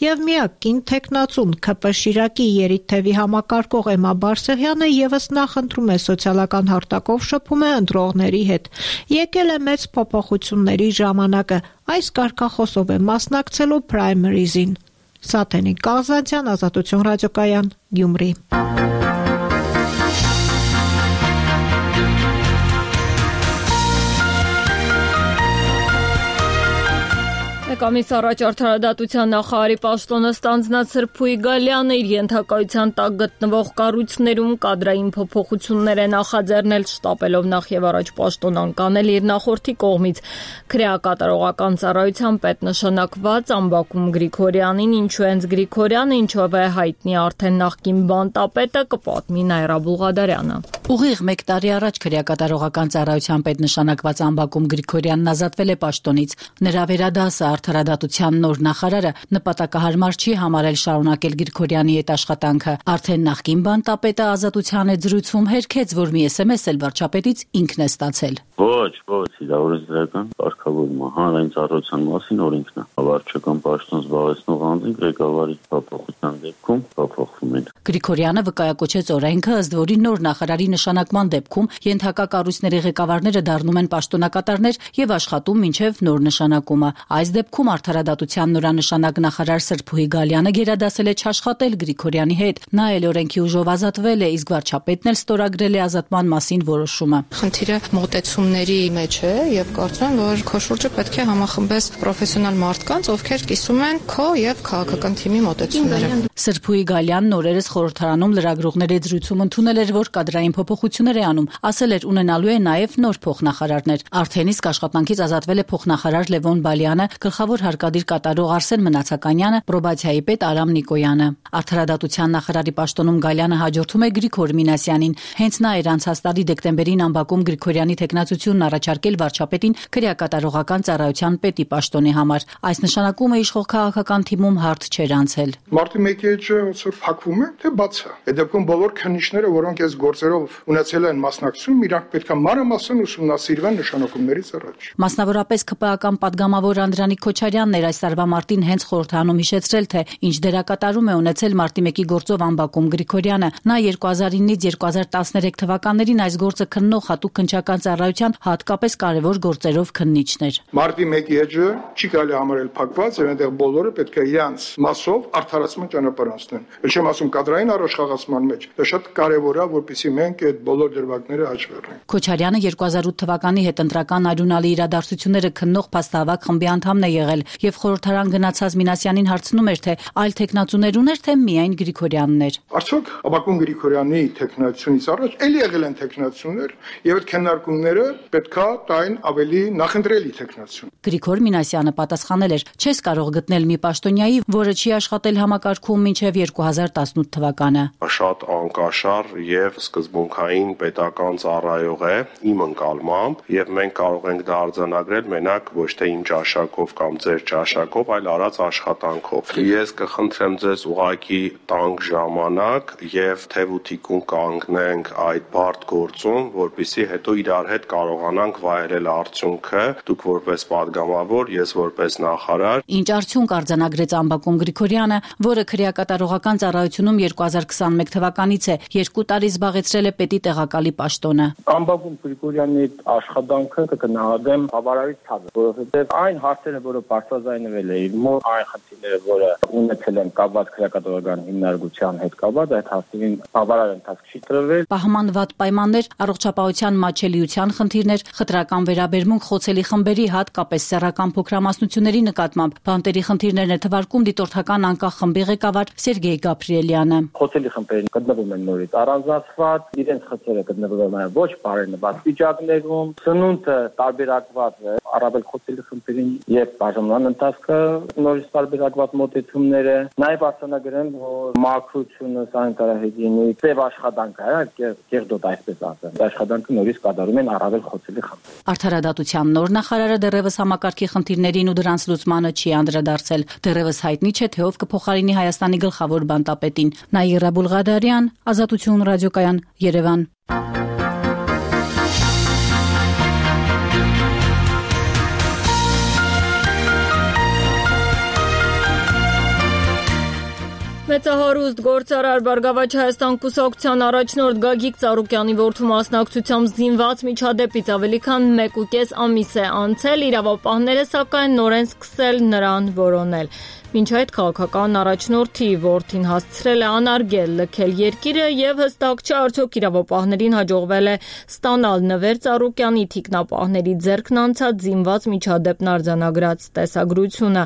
Եվ միակ կին տեխնացուն ՔՊ Շիրակի Երիթևի համակարգող Էմմա Բարսեղյանը եւս նախընտրում է սոցիալական հարթակով շփում է ընտրողների հետ։ Եկել է մեծ փոփոխությունների ժամանակը, այս կարգախոսով է մասնակցելու պրայմերիզին։ Սաթենիկ Կազանցյան, Ազատություն ռադիոկայան, Գյումրի։ Մեկամիս առաջ արդարադատության նախարարի պաշտոնը ստանձնած Սրփուի Գալյանը իր ենթակայության տակ գտնվող կառույցներում կադրային փոփոխություններ է նախաձեռնել, շտապելով նախ եւ առաջ պաշտոն անկանել իր նախորդի կողմից քրեակատարողական ծառայության պետ նշանակված Ամբակում Գրիգորյանին, ինչու հենց Գրիգորյանը, ինչով է հայտնի արդեն նախկին բանտապետը, կպատմի Նայրա Բուղադարյանը։ Ուղիղ մեկ տարի առաջ քրեակատարողական ծառայության պետ նշանակված Ամբակում Գրիգորյանն ազատվել է պաշտոնից։ Նրա վերադասը արդարադատության նոր նախարարը նպատակահարմար չի համարել շարունակել Գրիգորյանի հետ աշխատանքը։ Արդեն նախկին բանտապետը ազատության հետ զրույցում հերքեց, որ մի էս էմ էս էլ վարչապետից ինքն է ստացել։ Ոչ, ոչ, իրավարության կարգավորումը հանրային ծառայության մասին օրենքն է։ Վարչական պաշտոն զբաղեցնող անձինք ղեկավարի փոփոխության դեպքում փոփոխվում են։ Գրիգորյանը վկայակոչեց օրենքը, ըստ որի նոր նախարարի նշանակման դեպքում ենթակա կառույցների ղեկավարները դառնում են պաշտոնակատարներ եւ աշխատում մինչեւ նոր նշանակումը։ Այս դեպքում արդարադատության նորանշանակ նախարար Սրփուհի Գալյանը գերադասել է չաշխատել Գրիգորյանի հետ։ Նա էլ օրենքի ուժով ազատվել է, իսկ վարչապետն էլ ստորագրել է ազատման մասին որոշումը։ Խնդիրը մոտեցումների մեջ է եւ կարծում եմ, որ քո շուրջը պետք է համախմբես պրոֆեսիոնալ մարդկանց, ովքեր կիսում են քո եւ քաղաքական թիմի մոտեցումները։ Սրփուհի Գալյանն օրերս խորհրդարանում լրագրողների զրույցում ընդունել էր, որ կադրային փոփոխություններ է անում, ասել էր ունենալու է նաեւ նոր փոխնախարարներ։ Արդեն իսկ աշխատանքից ազատվել է փոխնախարար Լևոն Բալյանը, գլխավոր գլխավոր հարկադիր կատարող Արսեն Մնացականյանը, պրոբացիայի պետ Արամ Նիկոյանը։ Արդարադատության նախարարի պաշտոնում Գալյանը հաջորդում է Գրիգոր Մինասյանին։ Հենց նա էր անցած տարի դեկտեմբերին ամբակում Գրիգորյանի թեկնածությունն առաջարկել վարչապետին քրեակատարողական ծառայության պետի պաշտոնի համար։ Այս նշանակումը իշխող քաղաքական թիմում հարթ չէր անցել։ Մարտի մեկի էջը ոնց փակվում է, թե բաց է։ Այդ դեպքում բոլոր քննիչները, որոնք այս գործերով ունեցել են մասնակցություն, իրանք պետք է մանրամասն ուսումնասիրվեն նշանակումներից առաջ։ Մասնավորապես ԿՊԱ-ական падգամավոր Անդրանիկ Քոչարյանն էր այս տարվա մարտին հենց խորհրդանում հիշեցրել, թե ինչ դերակատարում է ունեցել մարտի մեկի գործով ամբակում Գրիգորյանը։ Նա երկու հազար իննից երկու հազար տասներեք թվականներին այս գործը քննող հատուկ քննչական ծառայության հատկապես կարևոր գործերով քննիչն էր։ Մարտի մեկի էջը չի կարելի համարել փակված, եւ այնտեղ բոլորը պետք է իրանց մասով արդարացման ճանապարհ անցնեն։ Էլ չեմ ասում կադրային առաջխաղացման մեջ, դա շատ կարևոր է, որպեսզի մենք այդ բոլոր դրվագները հաշվառենք։ Քոչարյանը երկու հազար ութ թվականի հետընտրական արյունալի իրադարձությունները քննող փաստահավաք խմբի անդամն է եղել եւ խորհրդարան գնացած Մինասյանին հարցնում էր, թե այլ տեխնացուներ ուներ, թե միայն Գրիգորյանն էր։ Արդյոք Աբակուն Գրիգորյանի տեխնացությունից առաջ էլի եղել են տեխնացուներ եւ այդ քննարկումները պետքա տային ավելի նախընտրելի տեխնացություն։ Գրիգոր Մինասյանը պատասխանել էր. «Չես կարող գտնել մի պաշտոնյայի, որը չի աշխատել համակարգում մինչեւ երկու հազար տասնութ թվականը»։ Շատ անկաշար եւ սկզբունքային պետական ծառայող է իմ ընկալմամբ եւ մենք կարող ենք դա արձանագրել մենակ ոչ թե իմ ճաշակով կամ ձեր ճաշակով, այլ արած աշխատանքով։ Ես կխնդրեմ ձեզ ուղակի տանք ժամանակ եւ թեւութիկուն կանգնենք այդ բարդ գործում, որպեսզի հետո իրար հետ կարողանանք վայելել արդյունքը, դուք որպես падգամավոր, ես որպես նախարար։ Ինչ արդյունք արձանագրեց ամբակում Գրիգորյանը, որը քրեակատարողական ծառայությունում երկու հազար քսաներեք թվականից է, երկու տարի զբաղեցրել է պետի տեղակալի պաշտոնը։ Ամբակում Գրիգորյանի աշխատանքը կգնահատեմ բավարարից ցածր, որովհետև այն հարցերը, որը բարձրաձայնվել էին, մոտ այն խնդիրները, որը ունեցել են կապված քրեակատարողական հիմնարկության հետ կապված, այդ հարցերին բավարար ընթացք չի տրվել։ Պահման վատ պայմաններ, առողջապահության մատչելիության խնդիրներ, խտրական վերաբերմունք խոցելի խմբերի, հատկապես սեռական փոքրամասնությունների նկատմամբ, բանտերի խնդիրներն է թվարկում դիտորդական անկախ խմբի ղեկավար Սերգեյ Գաբրիելյանը։ Խոցելի խմբերին գտնվում են նորից առանձնացված, իրենց խնդիրը գտնվում են ոչ բարենպաստ վիճակներում, սնունդը տարբերակված է, առավել խոցելի խմբերին եւ բաժանման ընթացքը նորից տարբերակված մոտեցումները, նաեւ արձանագրեմ, որ մաքրությունը, սանիտարահիգիենի ծև աշխատանքը է, կեղտոտ այսպես ասեմ, աշխատանքը նորից կատարում են առավել խոցելի խմբեր։ Արդարադատության նոր նախարարը դեռևս համակարգի խնդիրներին ու դրանց լուծմանը չի անդրադարձել։ Դեռևս հայտնի չէ, թե ով կփոխարինի Հայաստանի գլխավոր բանտապետին։ Նաիրա Բուլղադարյան, Ազատություն ռադիոկայան, Երևան։ Մեծահարուստ գործարար Բարգավաճ Հայաստան կուսակցության առաջնորդ Գագիկ Ծառուկյանի որդու մասնակցությամբ զինված միջադեպից ավելի քան մեկ ու կես ամիս է անցել, իրավապահները սակայն նոր են սկսել նրան որոնել։ Մինչ այդ քաղաքական առաջնորդի որդին հասցրել է անարգել լքել երկիրը եւ հստակ չէ արդյոք իրավապահներին հաջողվել է ստանալ Նվեր Ծառուկյանի թիկնապահների ձեռքն անցած զինված միջադեպն արձանագրած տեսագրությունը։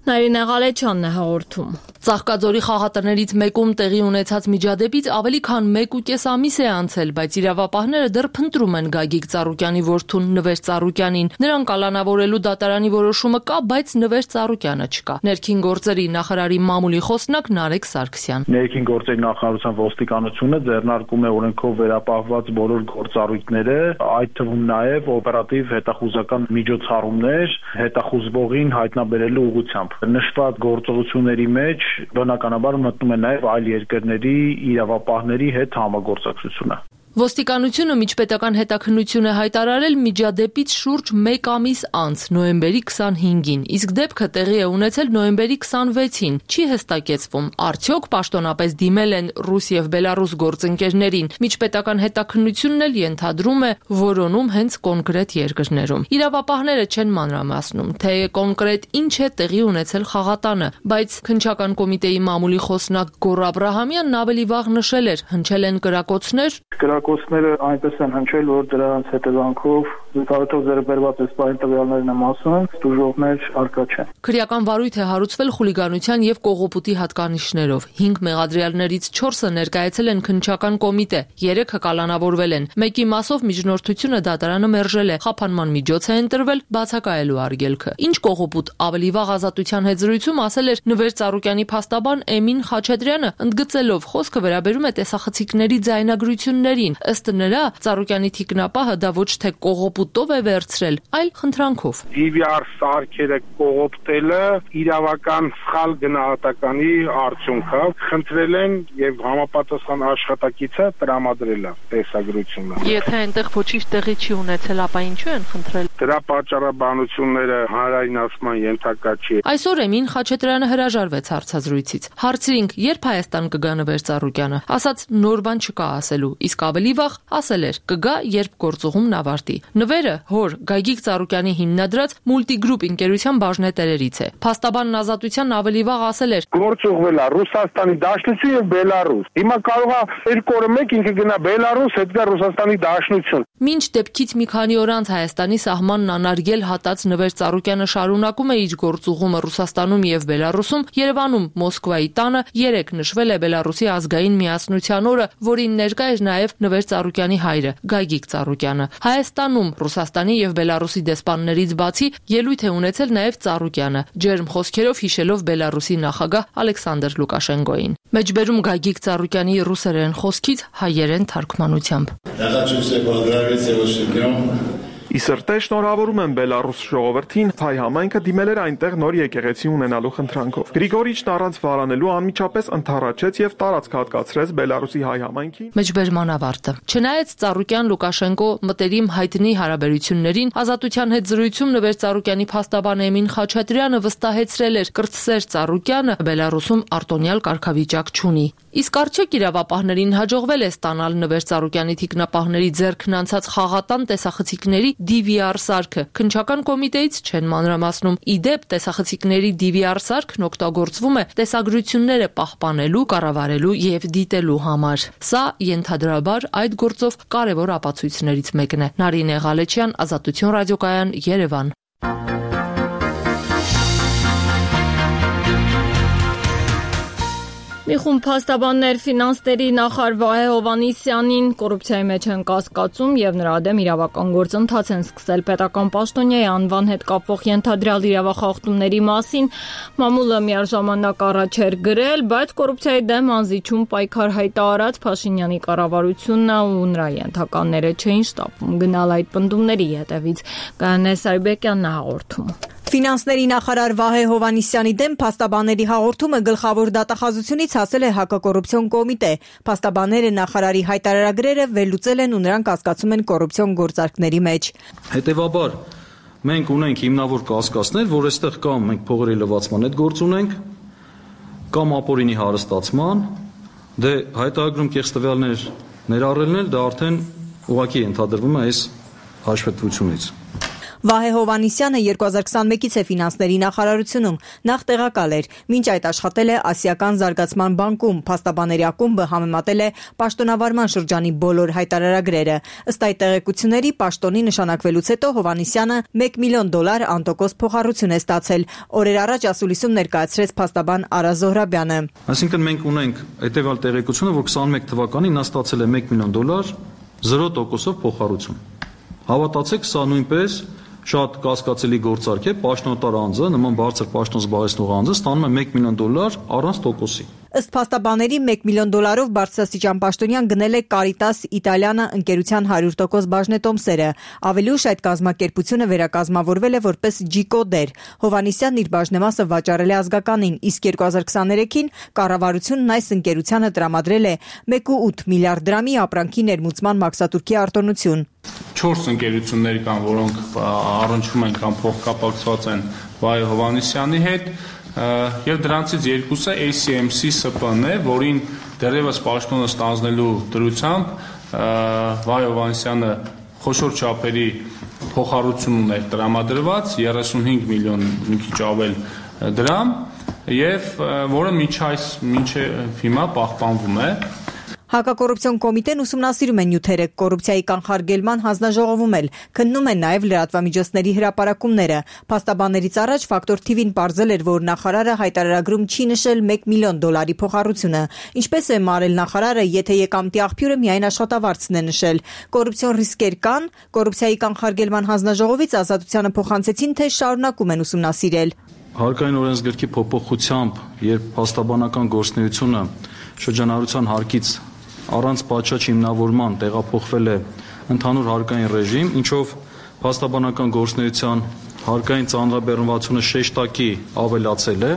Նարինե Ղալեչյանն է հաղորդում։ Ծաղկաձորի խաղատներից մեկում տեղի ունեցած միջադեպից ավելի քան մեկ ու կես ամիս է անցել, բայց իրավապահները դեռ փնտրում են Գագիկ Ծառուկյանի որդուն Նվեր Ծառուկյանին։ Նրան կալանավորելու դատարանի որոշումը կա, բայց Նվեր Ծառուկյանը չկա։ Ներքին գործերի նախարարի մամուլի խոսնակ Նարեկ Սարգսյան։ Ներքին գործերի նախարարության ոստիկանությունը ձեռնարկում է օրենքով վերապահված բոլոր գործառույթները, այդ թվում նաև օպերատիվ հետախուզական միջոցառումներ հետախուզվողին հայտնաբերելու ուղղությամբ։ Նշված գործողությունների մեջ բնականաբար մտնում է նաև այլ երկրների իրավապահների հետ համագործակցությունը։ Ոստիկանությունը միջպետական հետաքննություն է հայտարարել միջադեպից շուրջ մեկ ամիս անց, նոյեմբերի քսանհինգին, իսկ դեպքը տեղի է ունեցել նոյեմբերի քսանվեցին։ Չի հստակեցվում, արդյոք պաշտոնապես դիմել են ռուս եւ բելարուս գործընկերներին։ Միջպետական հետաքննությունն էլ ենթադրում է որոնում հենց կոնկրետ երկրներում։ Իրավապահները չեն մանրամասնում, թե կոնկրետ ինչ է տեղի ունեցել խաղատանը, բայց քննչական կոմիտեի մամուլի խոսնակ Գոռ Աբրահամյանն ավելի վաղ նշել էր, հնչել են կրակոցներ։ Կրակոցները այնպես են հնչել, որ դրանց հետևանքով Որովհետև ձեռբերված էսպային տվյալներն եմ ասում, դժողներ արկա չեն։ Քրեական վարույթ է հարուցվել խուլիգանության եւ կողոպուտի հատկանիշներով։ հինգ մեղադրյալներից չորսը ներկայացել են քննչական կոմիտե, երեքը կալանավորվել են։ Մեկի մասով միջնորդությունը դատարանը մերժել է, խափանման միջոց է ընտրվել բացակայելու արգելքը։ Ինչ կողոպուտ ավելի վաղ ազատության հետ զրույցում ասել էր Նվեր Ծառուկյանի փաստաբան Էմին Խաչատրյանը, ընդգծելով խոսքը վերաբերում է տեսախցիկների ձայնագրություններին։ Ըստ նրա, Ծառուկյանի թիկնապահը դա ոչ թե կողոպուտով է վերցրել, այլ խնդրանքով։ դի վի ար սարքերը կողոպտելը իրավական սխալ գնահատականի արդյունք է։ Խնդրել են եւ համապատասխան աշխատակիցը տրամադրել է տեսագրությունը։ Եթե այնտեղ ոչինչ տեղի չի ունեցել, ապա ինչու են խնդրել։ Դրա պատճառաբանությունները հանրայնացման ենթակա չի։ Այսօր Էմին Խաչատրյանը հրաժարվեց հարցազրույցից։ Հարցրինք, երբ Հայաստան կգա Նվեր Ծառուկյանը, ասաց նոր բան չկա ասելու, իսկ ավելի վաղ ասել էր կգա, երբ գործուղումն ավարտի։ Նվերը հոր Գագիկ Ծառուկյանի հիմնադրած Multigroup ընկերության բաժնետերերից է։ Փաստաբանն Ազատության ավելի վաղ ասել էր. Գործուղվել է Ռուսաստանի Դաշնություն եւ Բելարուս։ Հիմա կարող է երկու օրը մեկ ինքը գնա Բելարուս, հետ գա Ռուսաստանի Դաշնություն։ Մինչ դեպքից մի քանի օր անց Հայաստանի սահմանն անարգել հատած Նվեր Ծառուկյանը շարունակում է իր գործուղումը Ռուսաստանում եւ Բելարուսում, Երևանում Մոսկվայի տանը երեք նշվել է Բելարուսի ազգային միասնության օրը, որին ներկա էր նաեւ Նվեր Ծառուկյանի հայրը Գագիկ Ծառուկյանը։ Հայաստանում Ռուսաստանի եւ Բելարուսի դեսպաններից բացի ելույթ է ունեցել նաեւ Ծառուկյանը, ջերմ խոսքերով հիշելով Բելարուսի նախագահ Ալեքսանդր Լուկաշենկոին։ Մեջբերում Գագիկ Ծառուկյանի ռուսերեն խոսքից հայերեն թարգմանությամբ։ Իսրտե շնորհավորում եմ Բելարուս ժողովրդին, հայ համայնքը դիմել էր այնտեղ նոր եկեղեցի ունենալու խնդրանքով։ Գրիգորիչն առանց վարանելու անմիջապես ընդառաջեց եւ տարածք հատկացրեց Բելարուսի հայ համայնքին։ Մեջբերման ավարտը։ Չնայած Ծառուկյան Լուկաշենկո մտերիմ հայտնի հարաբերություններին, Ազատության հետ զրույցում Նվեր Ծառուկյանի փաստաբան Էմին Խաչատրյանը վստահեցրել էր, կրտսեր Ծառուկյանը Բելարուսում արտոնյալ կարգավիճակ չունի։ Իսկ արդյոք իրավապահներին հաջողվել է ստանալ Նվեր Ծառուկյանի թիկնապահների ձեռքն անցած խաղատան տեսախցիկների դի վի ար սարքը։ Քննչական կոմիտեից չեն մանրամասնում։ Իդեպ տեսախցիկների դի վի ար սարքն օգտագործվում է տեսագրությունները պահպանելու, կառավարելու եւ դիտելու համար։ Սա ենթադրաբար այդ գործով կարևոր ապացույցներից մեկն է։ Նարինե Ղալեչյան, Ազատություն ռադիոկայան, Երևան։ Մի խումբ փաստաբաններ ֆինանսների նախարար Վահե Հովհաննիսյանին կոռուպցիայի մեջ են կասկածում եւ նրա դեմ իրավական գործընթաց են սկսել պետական պաշտոնյայի անվան հետ կապվող ենթադրյալ իրավախախտումների մասին։ Մամուլը միաժամանակ առաջ էր գրել, բայց կոռուպցիայի դեմ անզիջում պայքար հայտարարած Փաշինյանի կառավարությունը ու նրա ենթականները չէին շտապում գնալ այդ պնդումների հետևից։ Կանե Սարիբեկյանն հաղորդում։ Ֆինանսների նախարար Վահե Հովհաննիսյանի դեմ փաստաբանների հաղորդումը գլխավոր դատախազությունից հասել է հակակոռուպցիոն կոմիտե։ Փաստաբանները նախարարի հայտարարագրերը վերլուծել են ու նրանք կասկածում են կոռուպցիոն գործարքների մեջ։ Հետևաբար մենք ունենք հիմնավոր կասկածներ, որ այստեղ կամ մենք փողերի լվացման հետ գործ ունենք, կամ ապօրինի հարստացման, դե հայտարարագրում կեղծ տվյալներ ներառելն էլ դա արդեն ուղղակի ենթադրվում է այս հաշվետվությունից։ Վահե Հովհաննիսյանը երկու հազար քսանմեկից է ֆինանսների նախարարությունում, նախ տեղակալ էր, մինչ այդ աշխատել է Ասիական զարգացման բանկում, փաստաբանների ակումբը համեմատել է պաշտոնավարման շրջանի բոլոր հայտարարագրերը։ Ըստ այդ տեղեկությունների պաշտոնի նշանակվելուց հետո Հովհաննիսյանը մեկ միլիոն դոլար անտոկոս փոխառություն է ստացել։ Օրեր առաջ ասուլիսում ներկայացրեց փաստաբան Արա Զոհրաբյանը։ Այսինքն մենք ունենք հետևյալ տեղեկությունը, որ քսանմեկ թվականին նա ստացել է մեկ միլիոն դոլար զրո տոկոսով փոխառություն։ Հավատացեք, սա նույնպես շատ կասկածելի գործարք է, պաշտոնատար անձը, նման բարձր պաշտոն զբաղեցնող անձը ստանում է մեկ միլիոն դոլար առանց տոկոսի։ Ըստ փաստաբանների մեկ միլիոն դոլարով բարձրաստիճան պաշտոնյան գնել է Կարիտաս Իտալիանը ընկերության հարյուր տոկոս բաժնետոմսերը։ Ավելի ուշ այդ կազմակերպությունը վերակազմավորվել է որպես Ջիկոդեր։ Հովհաննիսյանն իր բաժնեմասը վաճառել է ազգականին, իսկ երկու հազար քսաներեքին կառավարությունն այս ընկերությանը տրամադրել է մեկ կόμμα ութ միլիարդ դրամի ապրանքի ներմուծման մաքսատուրքի արտոնություն։ Չորս ընկերություններ կան, որոնք առնչվում են կամ փոխկապակցված են Վահե Հովհաննիսյանի հետ, եւ դրանցից երկուսը A C M C S P N է, որին դեռևս պաշտոնը ստանձնելու դրությամբ Վահե Հովհաննիսյանը խոշոր չափերի փոխառություն ուներ տրամադրված երեսունհինգ միլիոն մի քիչ ավել դրամ, եւ որը մինչ այս մինչ հիմա պահպանվում է։ Հակակոռուպցիոն կոմիտեն ուսումնասիրում է նյութերը կոռուպցիայի կանխարգելման հանձնաժողովում էլ, քննում են նաև լրատվամիջոցների հրապարակումները։ Փաստաբաններից առաջ Ֆակտոր թիվին պարզել էր, որ նախարարը հայտարարագրում չի նշել մեկ միլիոն դոլարի փոխառությունը։ Ինչպես է մարել նախարարը, եթե եկամտի աղբյուրը միայն աշխատավարձն է նշել։ Կոռուպցիոն ռիսկեր կան, կոռուպցիայի կանխարգելման հանձնաժողովից ազատությանը փոխանցեցին, թե շարունակում են ուսումնասիրել։ Հարկային օրենսգրքի փոփոխությամբ, երբ փաստաբանական գործունեությունը շրջանառության հարկից առանց պատշաճ հիմնավորման տեղափոխվել է ընդհանուր հարկային ռեժիմ, ինչով փաստաբանական գործունեության հարկային ծանրաբեռնվածությունը շեշտակի ավելացել է։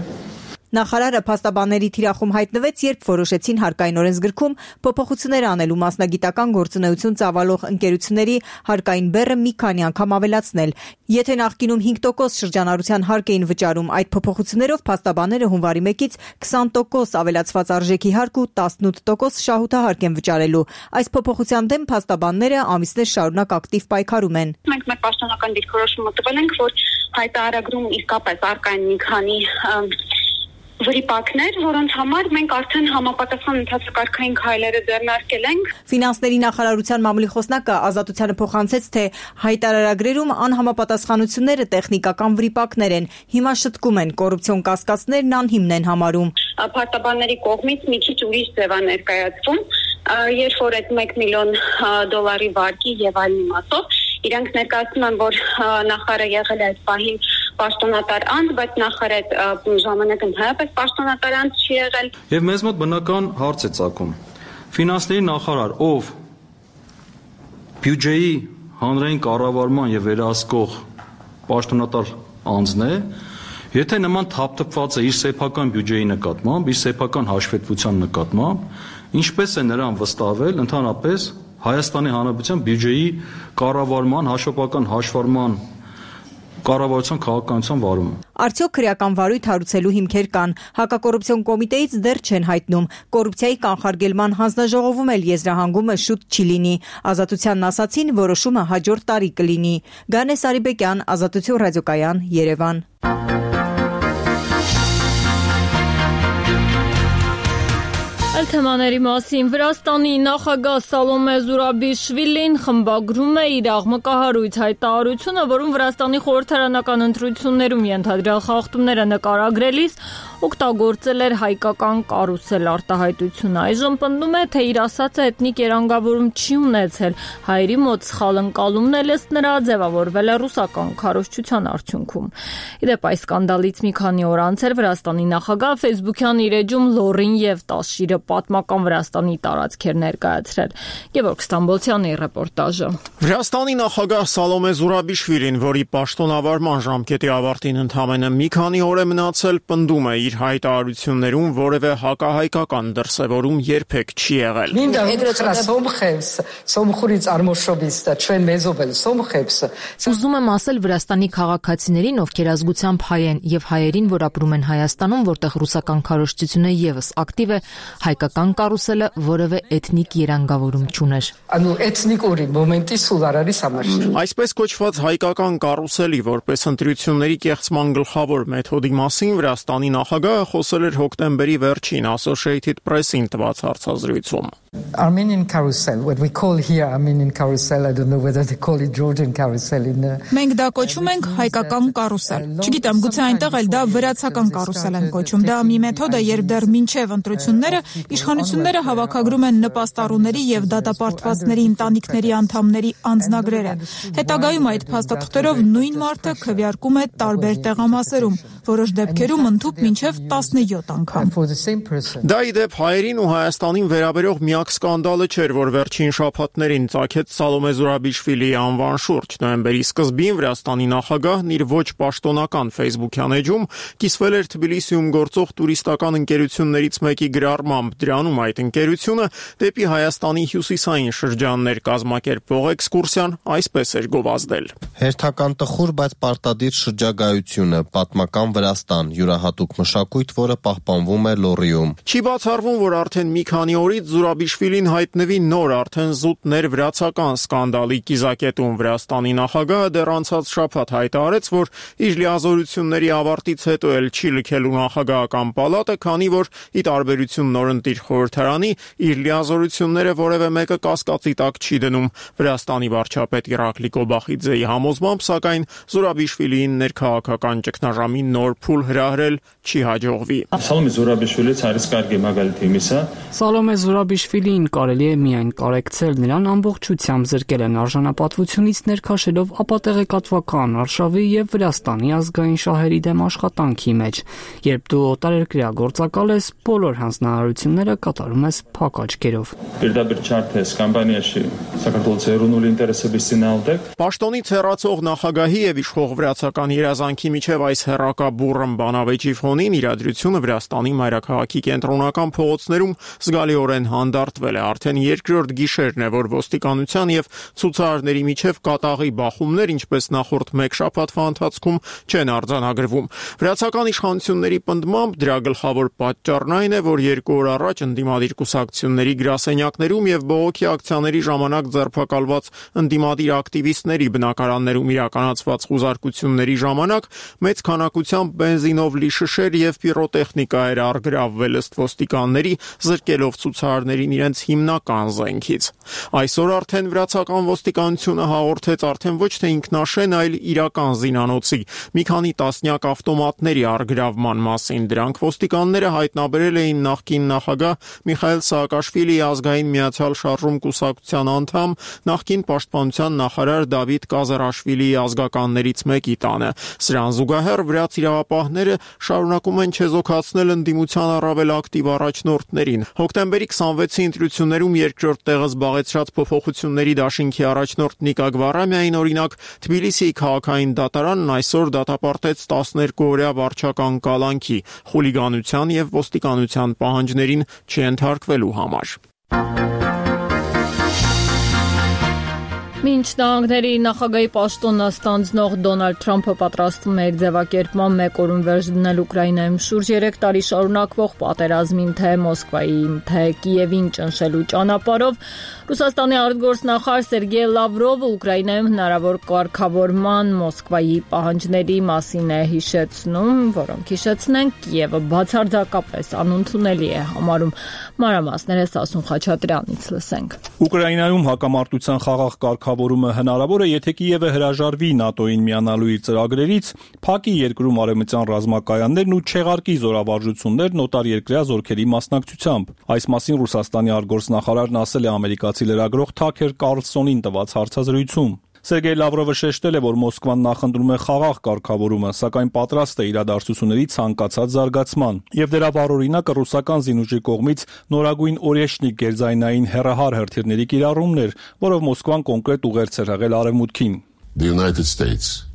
Նախարարը փաստաբանների թիրախում հայտնվեց, երբ որոշեցին հարկային օրենսգրքում փոփոխություններ անելու մասնագիտական գործունեություն ծավալող ընկերությունների հարկային բեռը մի քանի անգամ ավելացնել։ Եթե նախկինում հինգ տոկոս շրջանառության հարկ էին վճարում, այդ փոփոխություններով փաստաբանները հունվարի մեկից քսան տոկոս ավելացված արժեքի հարկ ու տասնութ տոկոս շահութահարկ են վճարելու։ Այս փոփոխության դեմ փաստաբանները ամիսներ շարունակ ակտիվ պայքարում են։ Մենք մեր պաշտոնական դիրքորոշումը տվել ենք, որ հայտարարագրում իսկապես առկա են մի քանի վրիպակներ, որոնց համար մենք արդեն համապատասխան ընթացակարգային քայլերը ձեռնարկել ենք։ Ֆինանսների նախարարության մամուլի խոսնակը ազատությանը փոխանցեց, թե հայտարարագրերում անհամապատասխանությունները տեխնիկական վրիպակներ են, հիմա շտկում են, կոռուպցիոն կասկածներն անհիմն են համարում։ Փաստաբանների կողմից մի քիչ ուրիշ ձև է ներկայացվում, երբ որ այդ մեկ միլիոն դոլարի վարկի եւ այլ իմաստով իրանք ներկայացնում են, որ նախարարը եղել է այդ պահին պաշտոնատար անձ, բայց նախարարը այդ ժամանակ ընդհանրապես պաշտոնատար անձ չի եղել։ Եվ մեզ մոտ բնական հարց է ծագում։ Ֆինանսների նախարար, ով բյուջեի հանրային կառավարման եւ վերահսկող պաշտոնատար անձն է, եթե նման թափթփված է իր սեփական բյուջեի նկատմամբ, իր սեփական հաշվետվության նկատմամբ, ինչպես է նրան վստահվել ընդհանրապես Հայաստանի Հանրապետության բյուջեի կառավարման, հաշվապահական հաշվառման կառավարության քաղաքականության վարումը։ Արդյոք քրեական վարույթ հարուցելու հիմքեր կան։ Հակակոռուպցիոն կոմիտեից դեռ չեն հայտնում։ Կոռուպցիայի կանխարգելման հանձնաժողովում էլ եզրահանգումը շուտ չի լինի։ Ազատությանն ասացին, որոշումը հաջորդ տարի կլինի։ Գանե Սարիբեկյան, Ազատություն ռադիոկայան, Երևան։ Այլ թեմաների մասին Վրաստանի նախագահ Սալոմե Զուրաբիշվիլին խմբագրում է իր աղմկահարույց հայտարարությունը, որում Վրաստանի խորհրդարանական ընտրություններում ենթադրյալ խախտումները նկարագրելիս օգտագործել էր հայկական կարուսել արտահայտությունը։ Այժմ պնդում է, թե իր ասածը էթնիկ երանգավորում չի ունեցել, հայերի մոտ սխալ ընկալումն էլ ըստ նրա ձևավորվել է ռուսական քարոզչության արդյունքում։ Իդեպ այս սկանդալից մի քանի օր անց էր Վրաստանի նախագահ Facebook-յան իր էջում լոռին եւ տասշիրը պատմական Վրաստանի տարածքեր ներկայացրել։ Գևորգ Ստամբոլցյանի ռեպորտաժը։ Վրաստանի նախագահ Սալոմե Զուրաբիշվիլին, որի պաշտոնավարման ժամկետի ավարտին ընդամենը մի քանի օր է մնացել, պնդում է իր հայտարարություններում որևէ հակահայկական դրսևորում երբեք չի եղել։ Ուզում եմ ասել Վրաստանի քաղաքացիներին, ովքեր ազգությամբ հայ են, եւ հայերին, որ ապրում են Հայաստանում, որտեղ ռուսական քարոզչությունը եւս ակտիվ է, հայկական կարուսելը որևէ էթնիկ երանգավորում չուներ։ Այսպես կոչված հայկական կարուսելի որպես ընտրությունների կեղծման գլխավոր մեթոդի մասին Վրաստանի նախագահը խոսել էր հոկտեմբերի վերջին Associated Press-ին տված հարցազրույցում։ Armenian carousel, what we call here Armenian carousel, I don't know whether they call it Georgian carousel in the... Մենք դա կոչում ենք հայկական կարուսել։ Չգիտեմ, գուցե այնտեղ էլ դա վրացական կարուսել են կոչում։ Դա մի մեթոդ է, երբ դեռ մինչև ընտրությունները իշխանությունները հավաքագրում են նպաստառուների եւ դատապարտվածների ընտանիքների անդամների անձնագրերը։ Հետագայում այդ փաստաթղթերով նույն մարդը քվեարկում է տարբեր տեղամասերում, որոշ դեպքերում ընդհուպ մինչև տասնյոթ անգամ։ Դա ի դեպ հայերին ու Հայաստանին վերաբերող միակ սկանդալը չէր, որ վերջին շաբաթներին ծագեց Սալոմե Զուրաբիշվիլիի անվան շուրջ։ Նոյեմբերի սկզբին Վրաստանի նախագահն իր ոչ պաշտոնական Facebook-յան էջում կիսվել էր Թբիլիսիում գործող տուրիստական ընկերություններից մեկի գրառմամբ։ Դրանում այդ ընկերությունը դեպի Հայաստանի հյուսիսային շրջաններ կազմակերպող էքսկուրսիան այսպես էր գովազդել. Հերթական տխուր, բայց պարտադիր շրջագայությունը, պատմական Վրաստան, յուրահատուկ մշակույթ, որը պահպանվում է Լոռիում։ Չի բացառվում, որ արդեն մի քանի օրից Զուրաբիշ Զուրաբիշվիլին հայտնվի նոր արդեն զուտ ներվրացական սկանդալի կիզակետում։ Վրաստանի նախագահը դեռ անցած շաբաթ հայտարարեց, որ իր լիազորությունների ավարտից հետո էլ չի լքելու նախագահական պալատը, քանի որ ի տարբերություն նորընտիր խորհրդարանի իր լիազորությունները որևէ մեկը կասկածի տակ չի դնում։ Վրաստանի վարչապետ Իրակլի Կոբախիձեի համոզմամբ, սակայն Զուրաբիշվիլիին ներքաղաքական ճգնաժամի նոր փուլ հրահրել չի հաջողվի։ Սալոմե Զուրաբիշվիլից հարից կարելի է մագալիթի միսա Սալոմե Զուրաբիշվիլին կարելի է միայն կարեկցել, նրան ամբողջությամբ զրկել են արժանապատվությունից, ներքաշելով ապատեղեկատվական արշավի եւ Վրաստանի ազգային շահերի դեմ աշխատանքի մեջ։ Երբ դու օտարերկրյա գործակալ ես, բոլոր հանձնարարությունները կատարում ես փակ աչքերով։ Պաշտոնից հեռացող նախագահի եւ իշխող վրացական երազանքի միջև այս հեռակաբուրըն բանավեճի ֆոնին իրադրությունը Վրաստանի մայրաքաղաքի կենտրոնական փողոցներում զգալիորեն հանդարտվել է։ Արդեն երկրորդ գիշերն է, որ ոստիկանության եւ ցուցարարների միջև կատաղի բախումներ, ինչպես նախորդ մեկ շաբաթվա ընթացքում, չեն արձանագրվում։ Վրացական իշխանությունների պնդմամբ դրա գլխավոր պատճառն այն է, որ երկու օր առաջ ընդդիմադիր կուսակցությունների գրասենյակներում եւ բողոքի ակցիաների ժամանակ ձերբակալված ընդդիմադիր ակտիվիստների բնակարաններում իրականացված խուզարկությունների ժամանակ մեծ քանակությամբ բենզինով լի շշեր եւ պիրոտեխնիկա էր առգրավվել ըստ ոստիկանների, զրկելով ցուցարարներին իրենց հիմնական զենքից։ Այսօր արդեն վրացական ոստիկանությունը հաղորդեց արդեն ոչ թե ինքնաշեն, այլ իրական զինանոցի մի քանի տասնյակ ավտոմատների առգրավման մասին։ Դրանք ոստիկանները հայտնաբերել էին նախկին նախագահ Միխայել Սաակաշվիլիի ազգային միացյալ շարժում կուսակցության անդամ, նախկին պաշտպանության նախարար Դավիթ Կազարաշվիլիի ազգականներից մեկի տանը։ Սրան զուգահեռ վրաց իրավապահները շարունակում են չեզոքացնել ընդդիմության առավել ակտիվ առաջնորդներին։ Հոկտեմբերի քսանվեցի ընտրություններում երկրորդ տեղը զբաղեցրած փոփոխությունների դաշինքի առաջնորդ Նիկա Գվարամյային օրինակ Թբիլիսիի քաղաքային դատարանն այսօր դատապարտեց տասներկու օրյա վարչական կալանքի խուլիգանության եւ ոստիկանության պահանջներին չենթարկվելու համար։ Մինչ նահանգների նախագահի պաշտոնը ստանձնող Դոնալդ Թրամփը պատրաստվում է իր ձևակերպման մեկ օրում վերջ դնել Ուկրաինայում շուրջ երեք տարի շարունակվող պատերազմին, թե Մոսկվային, թե Կիևին ճնշելու ճանապարհով, Ռուսաստանի արտգործնախարար Սերգեյ Լավրովը Ուկրաինայում հնարավոր կարգավորման Մոսկվայի պահանջների մասին է հիշեցնում, որոնք հիշեցնենք Կիևը բացարձակապես անընդունելի է համարում։ Մանրամասները Սասուն Խաչատրյանից լսենք։ Ուկրաինայում հակամարտության խաղաղ կարգավորումը հնարավոր է, եթե Կիևը հրաժարվի ՆԱՏՕ-ին միանալու իր ծրագրերից, փակի երկրում արևմտյան ռազմակայաններն ու չեղարկի զորավարժություններն օտարերկրյա զորքերի մասնակցությամբ։ Այս մասին Ռուսաստանի արտգործնախարարն ասել է ամերիկացի լրագրող Թաքեր Կարլսոնին տված հարցազրույցում։ Սերգեյ Լավրովը շեշտել է, որ Մոսկվան նախընտրում է խաղաղ կարգավորումը, սակայն պատրաստ է իրադարձությունների ցանկացած զարգացման, եւ դրա վառօրինակը ռուսական զինուժի կողմից նորագույն օրեշնիկ գերձայնային հեռահար հրթիռների կիրառումն էր, որով Մոսկվան կոնկրետ ուղերձ էր եղել արևմուտքին։ The United States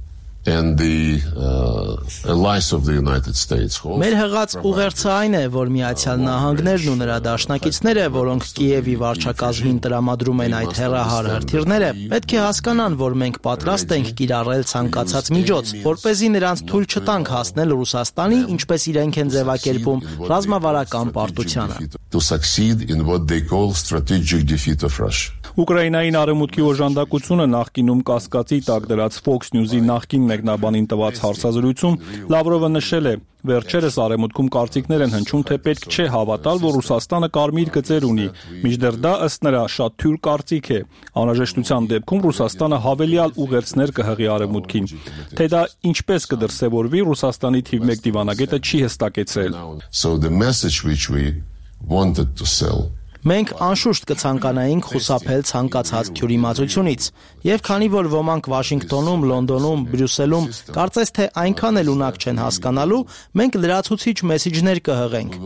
and the uh, allies of the United States. Մեր հղած ուղերձը այն է, որ Միացյալ Նահանգներն ու նրա դաշնակիցները, որոնք Կիևի վարչակազմին տրամադրում են այդ հեռահար հրթիռները, պետք է հասկանան, որ մենք պատրաստ ենք կիրառել ցանկացած միջոց, որպեսզի նրանց թույլ չտանք հասնել Ռուսաստանի, ինչպես իրենք են ձևակերպում, ռազմավարական պարտությանը։ To succeed in what they call strategic defeat of Russia. Ուկրաինային արևմուտքի օժանդակությունը նախկինում կասկածի տակ դրած Fox News-ի նախկին մեկնաբանին տված հարցազրույցում Լավրովը նշել է. Վերջերս արևմուտքում կարծիքներ են հնչում, թե պետք չէ հավատալ, որ Ռուսաստանը կարմիր գծեր ունի, մինչդեռ դա ըստ նրա շատ թյուր կարծիք է։ Անհրաժեշտության դեպքում Ռուսաստանը հավելյալ ուղերձներ կհղի արևմուտքին։ Թե դա ինչպես կդրսևորվի, Ռուսաստանի թիվ մեկ դիվանագետը չի հստակեցրել։ So the message which we wanted to sell Մենք անշուշտ կցանկանայինք խուսափել ցանկացած թյուրիմացությունից, եւ քանի որ ոմանք Վաշինգտոնում, Լոնդոնում, Բրյուսելում կարծես թե այնքան էլ ունակ չեն հասկանալու, մենք լրացուցիչ մեսիջներ կհղենք,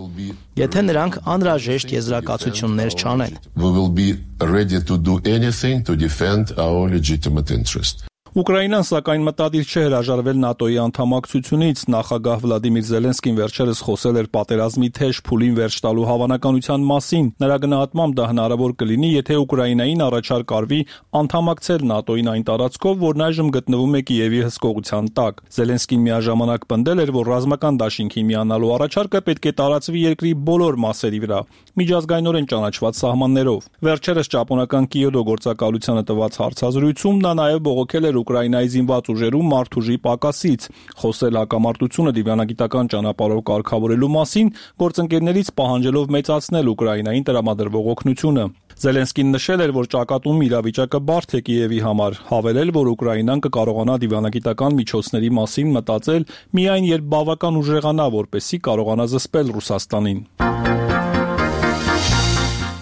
եթե նրանք անհրաժեշտ եզրակացություններ չանեն։ We will be ready to do anything to defend our legitimate interest. Ուկրաինան սակայն մտադիր չէ հրաժարվել ՆԱՏՕ-ի անդամակցությունից։ Նախագահ Վլադիմիր Զելենսկին վերջերս խոսել էր պատերազմի թեժ փուլին վերջ տալու հավանականության մասին։ Նրա գնահատմամբ դա հնարավոր կլինի, եթե Ուկրաինային առաջարկ արվի անդամակցել ՆԱՏՕ-ին այն տարածքով, որն այժմ գտնվում է Կիևի հսկողության տակ։ Զելենսկին միաժամանակ պնդել էր, որ ռազմական դաշինքին միանալու առաջարկը պետք է տարածվի երկրի բոլոր մասերի վրա, միջազգայնորեն ճանաչված սահմաններով։ Վերջերս ճապոնական Կիոտո գործակալությանը տված հարցազրույցում նա նաև բողոքել էր Ուկրաինայի զինված ուժերում մարդուժի պակասից, խոսել հակամարտությունը դիվանագիտական ճանապարհով կարգավորելու մասին, գործընկերներից պահանջելով մեծացնել Ուկրաինային տրամադրվող օգնությունը։ Զելենսկին նշել էր, որ ճակատում իրավիճակը բարդ է Կիևի համար, հավելել, որ Ուկրաինան կկարողանա դիվանագիտական միջոցների մասին մտածել միայն երբ բավական ուժեղանա, որպեսզի կարողանա զսպել Ռուսաստանին։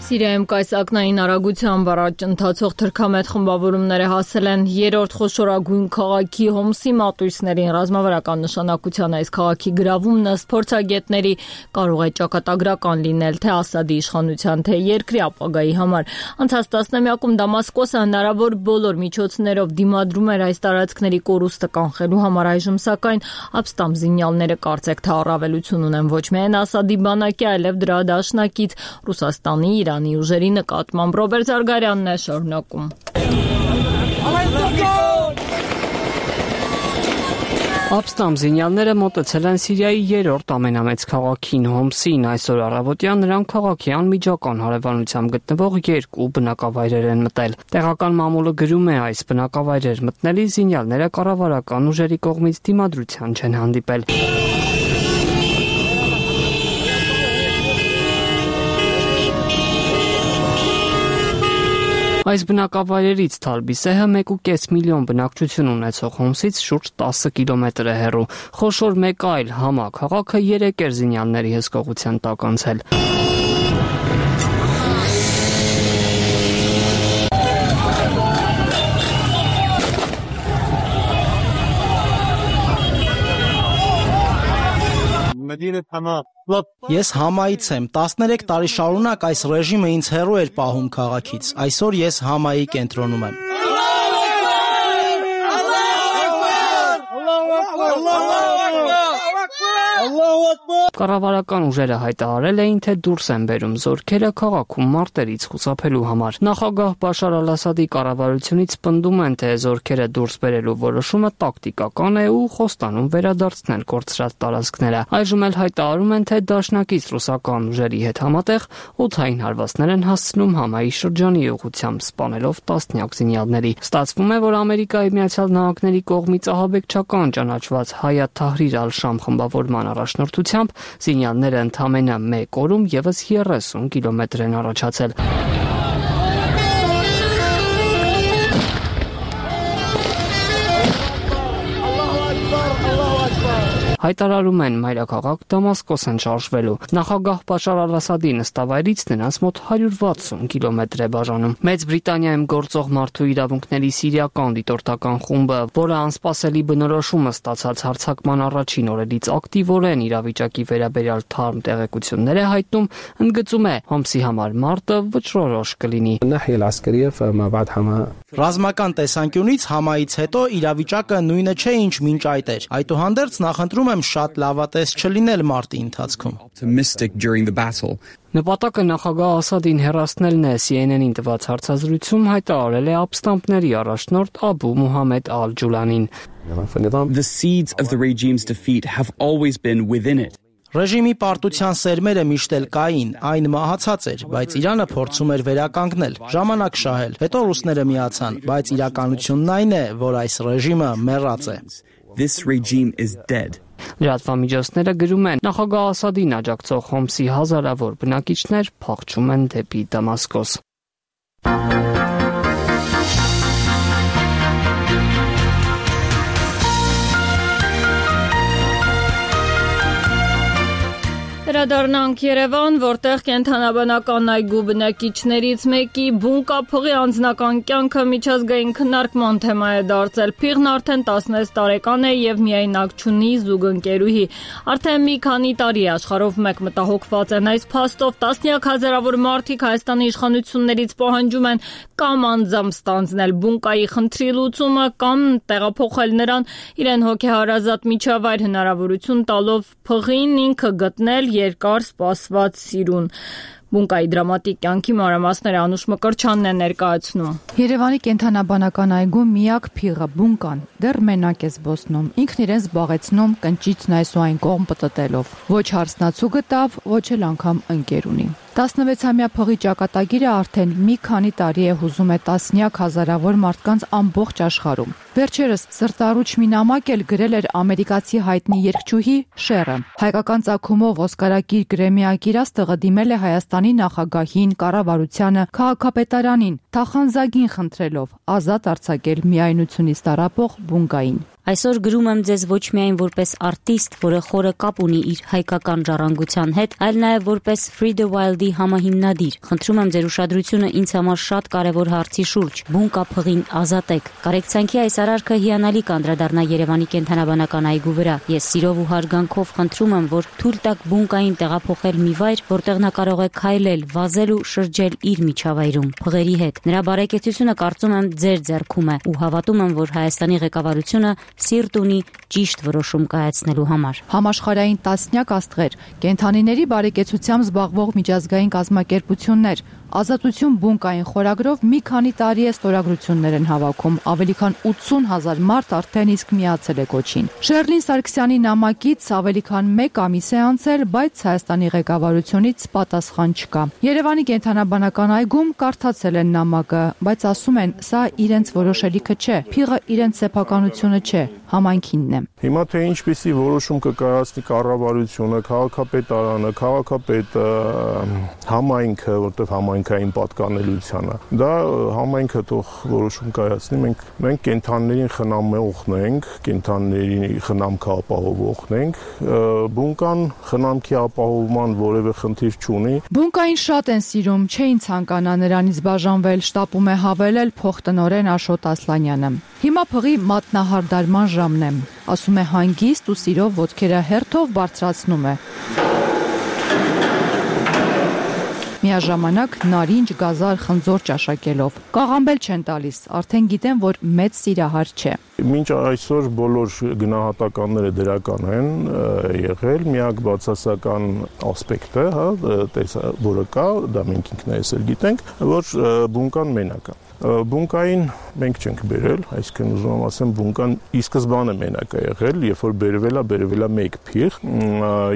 Սիրիայում կայսակնային արագությամբ առաջ ընթացող թրքամետ խմբավորումները հասել են երրորդ խոշորագույն քաղաքի Հոմսի մատույցներին։ Ռազմավարական նշանակության այս քաղաքի գրավումն ըստ փորձագետների կարող է ճակատագրական լինել թե Ասադի իշխանության, թե երկրի ապագայի համար։ Անցած տասնամյակում Դամասկոսը հնարավոր բոլոր միջոցներով դիմադրում էր այս տարածքների կորուստը կանխելու համար, այժմ սակայն ապստամբ զինյալները կարծեք թե առավելություն ունեն ոչ միայն Ասադի բանակի, այլև դրա դաշնակից Ռուսաստանի, Իրանի ուժերի նկատմամբ։ Ռոբերտ Զարգարյանն է շարունակում։ Ապստամբ զինյալները մոտեցել են Սիրիայի երրորդ ամենամեծ քաղաքին Հոմսին։ Այսօր առավոտյան նրանք քաղաքի անմիջական հարևանությամբ գտնվող երկու բնակավայրեր են մտել։ Տեղական մամուլը գրում է, այս բնակավայրեր մտնելի զինյալները կառավարական ուժերի կողմից դիմադրության չեն հանդիպել։ Այս բնակավայրերից Թալբիսեհը մեկ ու կես միլիոն բնակչություն ունեցող Հոմսից շուրջ տասը կիլոմետր է հեռու։ Խոշոր մեկ այլ համաքաղաքը երեք էր զինյալների հսկողության տակ անցել։ Ես Համայից եմ, տասներեք տարի շարունակ այս ռեժիմը ինձ հեռու էր պահում քաղաքից, այսօր ես Համայի կենտրոնում եմ։ Կառավարական ուժերը հայտարարել էին, թե դուրս են բերում զորքերը քաղաքում մարտերից խուսափելու համար։ Նախագահ Բաշար Ալ-Ասադի կառավարությունից պնդում են, թե զորքերը դուրս բերելու որոշումը տակտիկական է ու խոստանում վերադարձնել կորցրած տարածքները։ Այժմ էլ հայտարարում են, թե դաշնակից ռուսական ուժերի հետ համատեղ օդային հարվածներ են հասցնում Համայի շրջանի ուղղությամբ, սպանելով տասնյակ զինյալների։ Ստացվում է, որ Ամերիկայի Միացյալ Նահանգների կողմից ահաբեկչական ճանաչված Հայաթ Թահրիր Ալ-Շամ խմբավորման առաջնորդությամբ զինյալները ընդամենը մեկ օրում ևս երեսուն կիլոմետր են առաջացել։ Հայտարարում են մայրաքաղաք Դամասկոս են շարժվելու։ Նախագահ Բաշար Ալ-Ասադի նստավայրից նրանց մոտ հարյուր վաթսուն կիլոմետր է բաժանում։ Մեծ Բրիտանիայում գործող մարդու իրավունքների սիրիական դիտորդական խումբը, որը անսպասելի բնորոշումը ստացած հարձակման առաջին օրերից ակտիվորեն իրավիճակի վերաբերյալ թարմ տեղեկություններ է հայտնում, ընդգծում է Հոմսի համար մարտը վճռորոշ կլինի։ Ռազմական տեսանկյունից Համայից հետո իրավիճակը նույնը չէ, ինչ մինչ այդ էր։ Այդուհանդերձ նախընտրում եմ շատ լավատես չլինել մարտի ընթացքում։ Նպատակը նախագահ Ասադին հեռացնելն է, C N N-ին տված հարցազրույցում հայտարարել է ապստամբների առաջնորդ Աբու Մուհամմեդ Ալ-Ջուլանին։ The seeds of the regime's defeat have always been within it. Ռեժիմի պարտության սերմերը միշտ էլ կային, այն մահացած էր, բայց Իրանը փորձում էր վերականգնել, ժամանակ շահել, հետո ռուսները միացան, բայց իրականությունն այն է, որ այս ռեժիմը մեռած է։ This regime is dead. Լրատվամիջոցները գրում են, նախագահ Ասադին աջակցող Հոմսի հազարավոր բնակիչներ փախչում են դեպի Դամասկոս։ Վերադառնանք Երևան, որտեղ կենդանաբանական այգու բնակիչներից մեկի բունկա փղի անձնական կյանքը միջազգային քննարկման թեմա է դարձել։ Փիղն արդեն տասնվեց տարեկան է եւ միայնակ չունի զուգընկերուհի։ Արդեն մի քանի տարի աշխարհով մեկ մտահոգված են այս փաստով։ Տասնյակ հազարավոր մարդիկ Հայաստանի իշխանություններից պահանջում են կամ անձամբ ստանձնել բունկայի խնդրի լուծումը, կամ տեղափոխել նրան իրեն հոգեհարազատ միջավայր հնարավորություն տալով փղին ինքը գտնել երկար սպասված սիրուն։ Բունկայի դրամատիկ կյանքի մանրամասները Անուշ Մկրտչյանն է ներկայացնում։ Երևանի կենդանաբանական այգու միակ փիղը բունկան դեռ մենակ է զբոսնում։ Ինքն իրեն զբաղեցնում կնճիծն այս ու այն կողմ պտտելով։ Ոչ հարսնացու գտավ, ոչ էլ անգամ ընկեր ունի։ տասնվեցամյա փղի ճակատագիրը արդեն մի քանի տարի է հուզում է տասնյակ հազարավոր մարդկանց ամբողջ աշխարհում։ Վերջերս սրտառուչ մի նամակ էլ գրել էր ամերիկացի հայտնի երգչուհի Շերը։ Հայկական ծագումով օսկարակիր գրեմիակիրաստղը դիմել է Հայաստանի նախագահին, կառավարությանը, քաղաքապետարանին, թախանձագին խնդրելով ազատ արձակել միայնությունից տառապող բունկային։ Այսօր գրում եմ ձեզ ոչ միայն որպես արտիստ, որը խորը կապ ունի իր հայկական ժառանգության հետ, այլ նաև որպես Free the Wild-ի համահիմնադիր։ Խնդրում եմ ձեր ուշադրությունը ինձ համար շատ կարևոր հարցի շուրջ՝ բունկա փղին ազատեք։ Կարեկցանքի այս արարքը հիանալի կանդրադառնա Երևանի կենդանաբանական այգու վրա։ Ես սիրով ու հարգանքով խնդրում եմ, որ թույլ տաք բունկային տեղափոխել մի վայր, որտեղ նա կարող է քայլել, վազել ու շրջել իր միջավայրում փղերի հետ։ Նրա բարեկեցությունը կարծում եմ ձեր ձեռքում է ու հավատում եմ, որ Հայաստանի ղեկավարությունը սիրտ ունի ճիշտ որոշում կայացնելու համար։ Համաշխարհային տասնյակ աստղեր, կենդանիների բարեկեցությամբ զբաղվող միջազգային կազմակերպություններ, Ազատություն բունկային խորագրով մի քանի տարի է ստորագրություններ են հավաքում, ավելի քան ութսուն հազար մարդ արդեն իսկ միացել է կոչին։ Շերլին Սարգսյանի նամակից ավելի քան մեկ ամիս է անցել, բայց Հայաստանի ղեկավարությունից պատասխան չկա։ Երևանի կենդանաբանական այգում կարդացել են նամակը, բայց ասում են, սա իրենց որոշելիքը չէ, փիղը իրենց սեփականությունը չէ, համայնքինն է։ Հիմա թե ինչպիսի որոշում կկայացնի կառավարությունը, քաղաքապետարանը, քաղաքապետը, համայնքը, որտեղ համայնքային պատկանելիությանը, դա համայնքը թող որոշում կայացնի, մենք մենք կենդաններին խնամողն ենք, կենդանների խնամքը ապահովողն ենք, բունկան խնամքի ապահովման որևէ խնդիր չունի։ Բունկային շատ են սիրում, չէին ցանկանա նրանից բաժանվել, շտապում է հավելել փոխտնօրեն Աշոտ Ասլանյանը։ Հիմա փղի մատնահարդարման ժամն է, ասում է հանգիստ ու սիրով ոտքերը հերթով բարձրացնում է։ Միաժամանակ նարինջ, գազար, խնձոր ճաշակելով։ Կաղամբել չեն տալիս, արդեն գիտեն, որ մեծ սիրահար չէ։ Մինչ այսօր բոլոր գնահատականները դրական են եղել, միակ բացասական ասպեկտը, հա, որը կա, դա մենք ինքներս էլ գիտենք, որ բունկան մենակ է։ Բունկային մենք չենք բերել, այսինքն ուզում եմ ասեմ, բունկան ի սկզբանե մենակ է եղել, երբ որ բերվել է, բերվել է մեկ փիղ,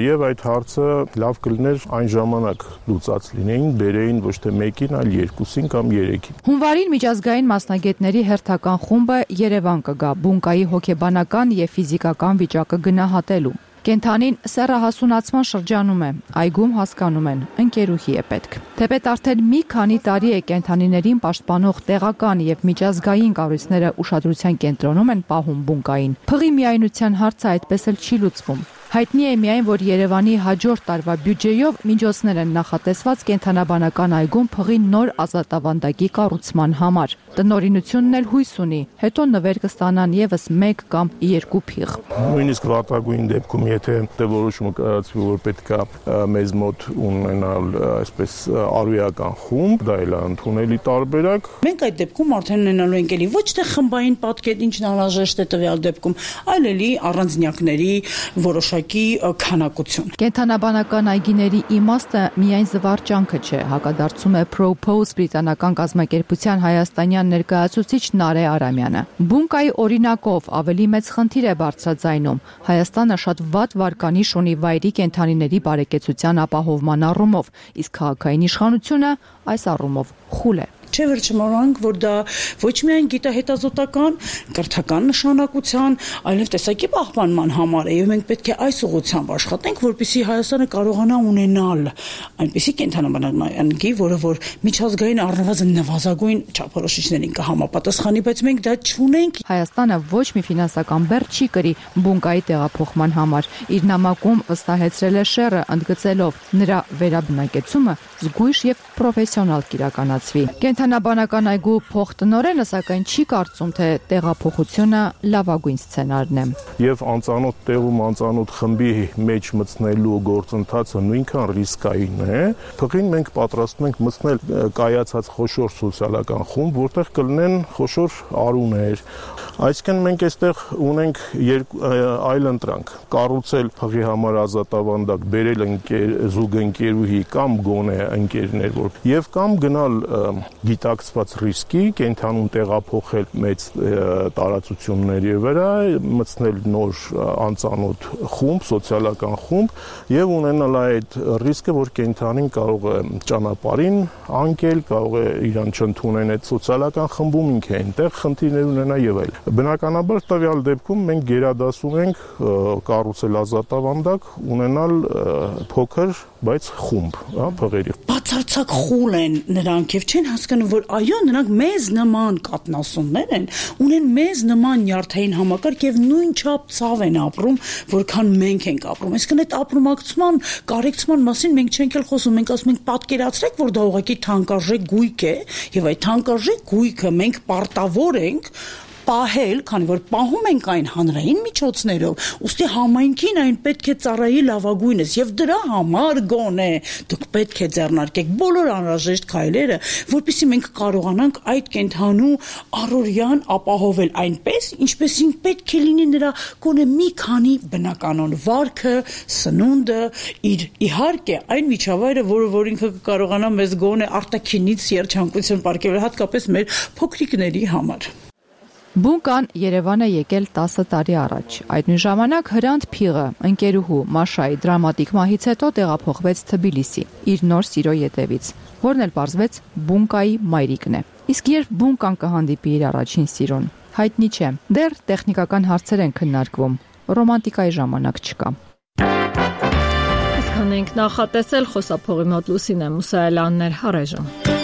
եւ այդ հարցը լավ կլիներ այն ժամանակ լուծած լինեին, բերեին ոչ թե մեկին, այլ երկուսին կամ երեքին։ Հունվարին միջազգային մասնագետների հերթական խումբը Երևան կգա բունկայի հոգեբանական եւ ֆիզիկական վիճակը գնահատելու։ Կենդանին սեռահասունացման շրջանում է, այգում հասկանում են, ընկերուհի է պետք։ Թեպետ արդեն մի քանի տարի է կենդանիներին պաշտպանող տեղական եւ միջազգային կառույցները ուշադրության կենտրոնում են պահում բունկային։ Փղի միայնության հարցը այդպես էլ չի լուծվում։ Հայտնի է միայն, որ Երևանի հաջորդ տարվա բյուջեյով միջոցներ են նախատեսված կենդանաբանական այգում փղի նոր ազատավանդակի կառուցման համար։ Տնօրինությունն էլ հույս ունի, հետո նվեր կստանան եւս մեկ կամ երկու փիղ։ Նույնիսկ վատագույն դեպքում, եթե դե որոշումը կայացվի, որ պետք է մեզ մոտ ունենալ այսպես արույական խումբ, դա էլ է ընդունելի տարբերակ։ Մենք այդ դեպքում արդեն ունենալու ենք էլի ոչ թե խմբային պատկետ, ինչն անհրաժեշտ է տվյալ դեպքում, այլ էլի առանձնյակների որոշ քանակություն։ Կենդանաբանական այգիների իմաստը միայն զվարճանքը չէ, հակադարձում է Propose բրիտանական կազմակերպության հայաստանյան ներկայացուցիչ Նարե Արամյանը։ Բունկայի օրինակով ավելի մեծ խնդիր է բարձրաձայնում։ Հայաստանը շատ վատ վարկանիշ ունի վայրի կենդանիների բարեկեցության ապահովման առումով, իսկ քաղաքային իշխանությունը այս առումով խուլ է։ Չէ վերջմորանք, որ դա ոչ միայն գիտահետազոտական, կրթական նշանակության, այլև տեսակի պահպանման համար է, եւ մենք պետք է այս ուղղությամբ աշխատենք, որպեսզի Հայաստանը կարողանա ունենալ այնպիսի կենդանաբանական, որը որ միջազգային առնվազն նվազագույն չափորոշիչներին կհամապատասխանի, բայց մենք դա չունենք։ Հայաստանը ոչ մի ֆինանսական բեռ չի կրի բունկայի տեղափոխման համար։ Իր նամակում վստահեցրել է շեռը, ընդգծելով նրա վերաբնակեցումը զգույշ եւ պրոֆեսիոնալ կիրականացվի։ Կենդանաբանական այգու փոխտնօրենը սակայն չի կարծում, թե տեղափոխությունը լավագույն սցենարն է։ Եվ անծանոթ տեղում անծանոթ խմբի մեջ մտցնելու գործընթացը նույնքան ռիսկային է։ Փղին մենք պատրաստում ենք մտցնել կայացած խոշոր սոցիալական խումբ, որտեղ կլինեն խոշոր արուներ։ Այսինքն մենք այստեղ ունենք այլ ընտրանք, կառուցել փղի համար ազատավանդակ, բերել ընկեր, զուգընկերուհի կամ գոնե ընկերներ, որ եւ կամ գնալ գիտակցված ռիսկի, կենթանուն տեղափոխել մեծ տարածությունների վրա, մտցնել նոր անծանոթ խումբ, սոցիալական խումբ եւ ունենալ այդ ռիսկը, որ կենթանին կարող է ճանապարհին անկել, կարող է իրան չընդունեն այդ սոցիալական խմբում ինքը այնտեղ խնդիրներ ունենա եւ այլ։ Բնականաբար տվյալ դեպքում մենք գերադասում ենք կառուցել ազատավանդակ, ունենալ փոքր, բայց խումբ, հա, փղերի։ Բացարձակ խուլ են նրանք եւ չեն հասկանում, որ այո, նրանք մեզ նման կատնասուններ են, ունեն մեզ նման նյարդային համակարգ եւ նույնչափ ցավ են ապրում, որքան մենք ենք ապրում։ Այսինքն այդ ապրումակցման, կարեկցման մասին մենք չենք էլ խոսում, մենք ասում ենք պատկերացրեք, որ դա ուղղակի թանկարժեք գույք է եւ այդ թանկարժեք գույքը մենք պարտավոր ենք պահել, քանի որ պահում ենք այն հանրային միջոցներով, ուստի համայնքին այն պետք է ծառայի լավագույնս եւ դրա համար գոնե դուք պետք է ձեռնարկեք բոլոր անհրաժեշտ քայլերը, որպեսզի մենք կարողանանք այդ կենթանու առօրյան ապահովել այնպես, ինչպեսին պետք է լինի նրա գոնե մի քանի բնականon վարքը, սնունդը, իր իհարկե այն միջավայրը, որը որ ինքը կարողանա մեզ գոնե արտաքինից երջանկություն պարգևել, հատկապես մեր փոքրիկների համար։ Բունկան Երևան է եկել տասը տարի առաջ։ Այդ նույն ժամանակ Հրանտ Փիղը, ընկերուհու Մաշայի դրամատիկ մահից հետո տեղափոխվեց Թբիլիսի, իր նոր սիրո ետևից, որն էլ պարզվեց Բունկայի մայրիկն է։ Իսկ երբ Բունկան կհանդիպի իր առաջին սիրուն, հայտնի չէ։ Դեռ տեխնիկական հարցեր են քննարկվում, ռոմանտիկայի ժամանակ չկա։ Իսկ հնենք նախատեսել խոսափողի մոտ Լուսինե Մուսայելյանն էր, առայժմ։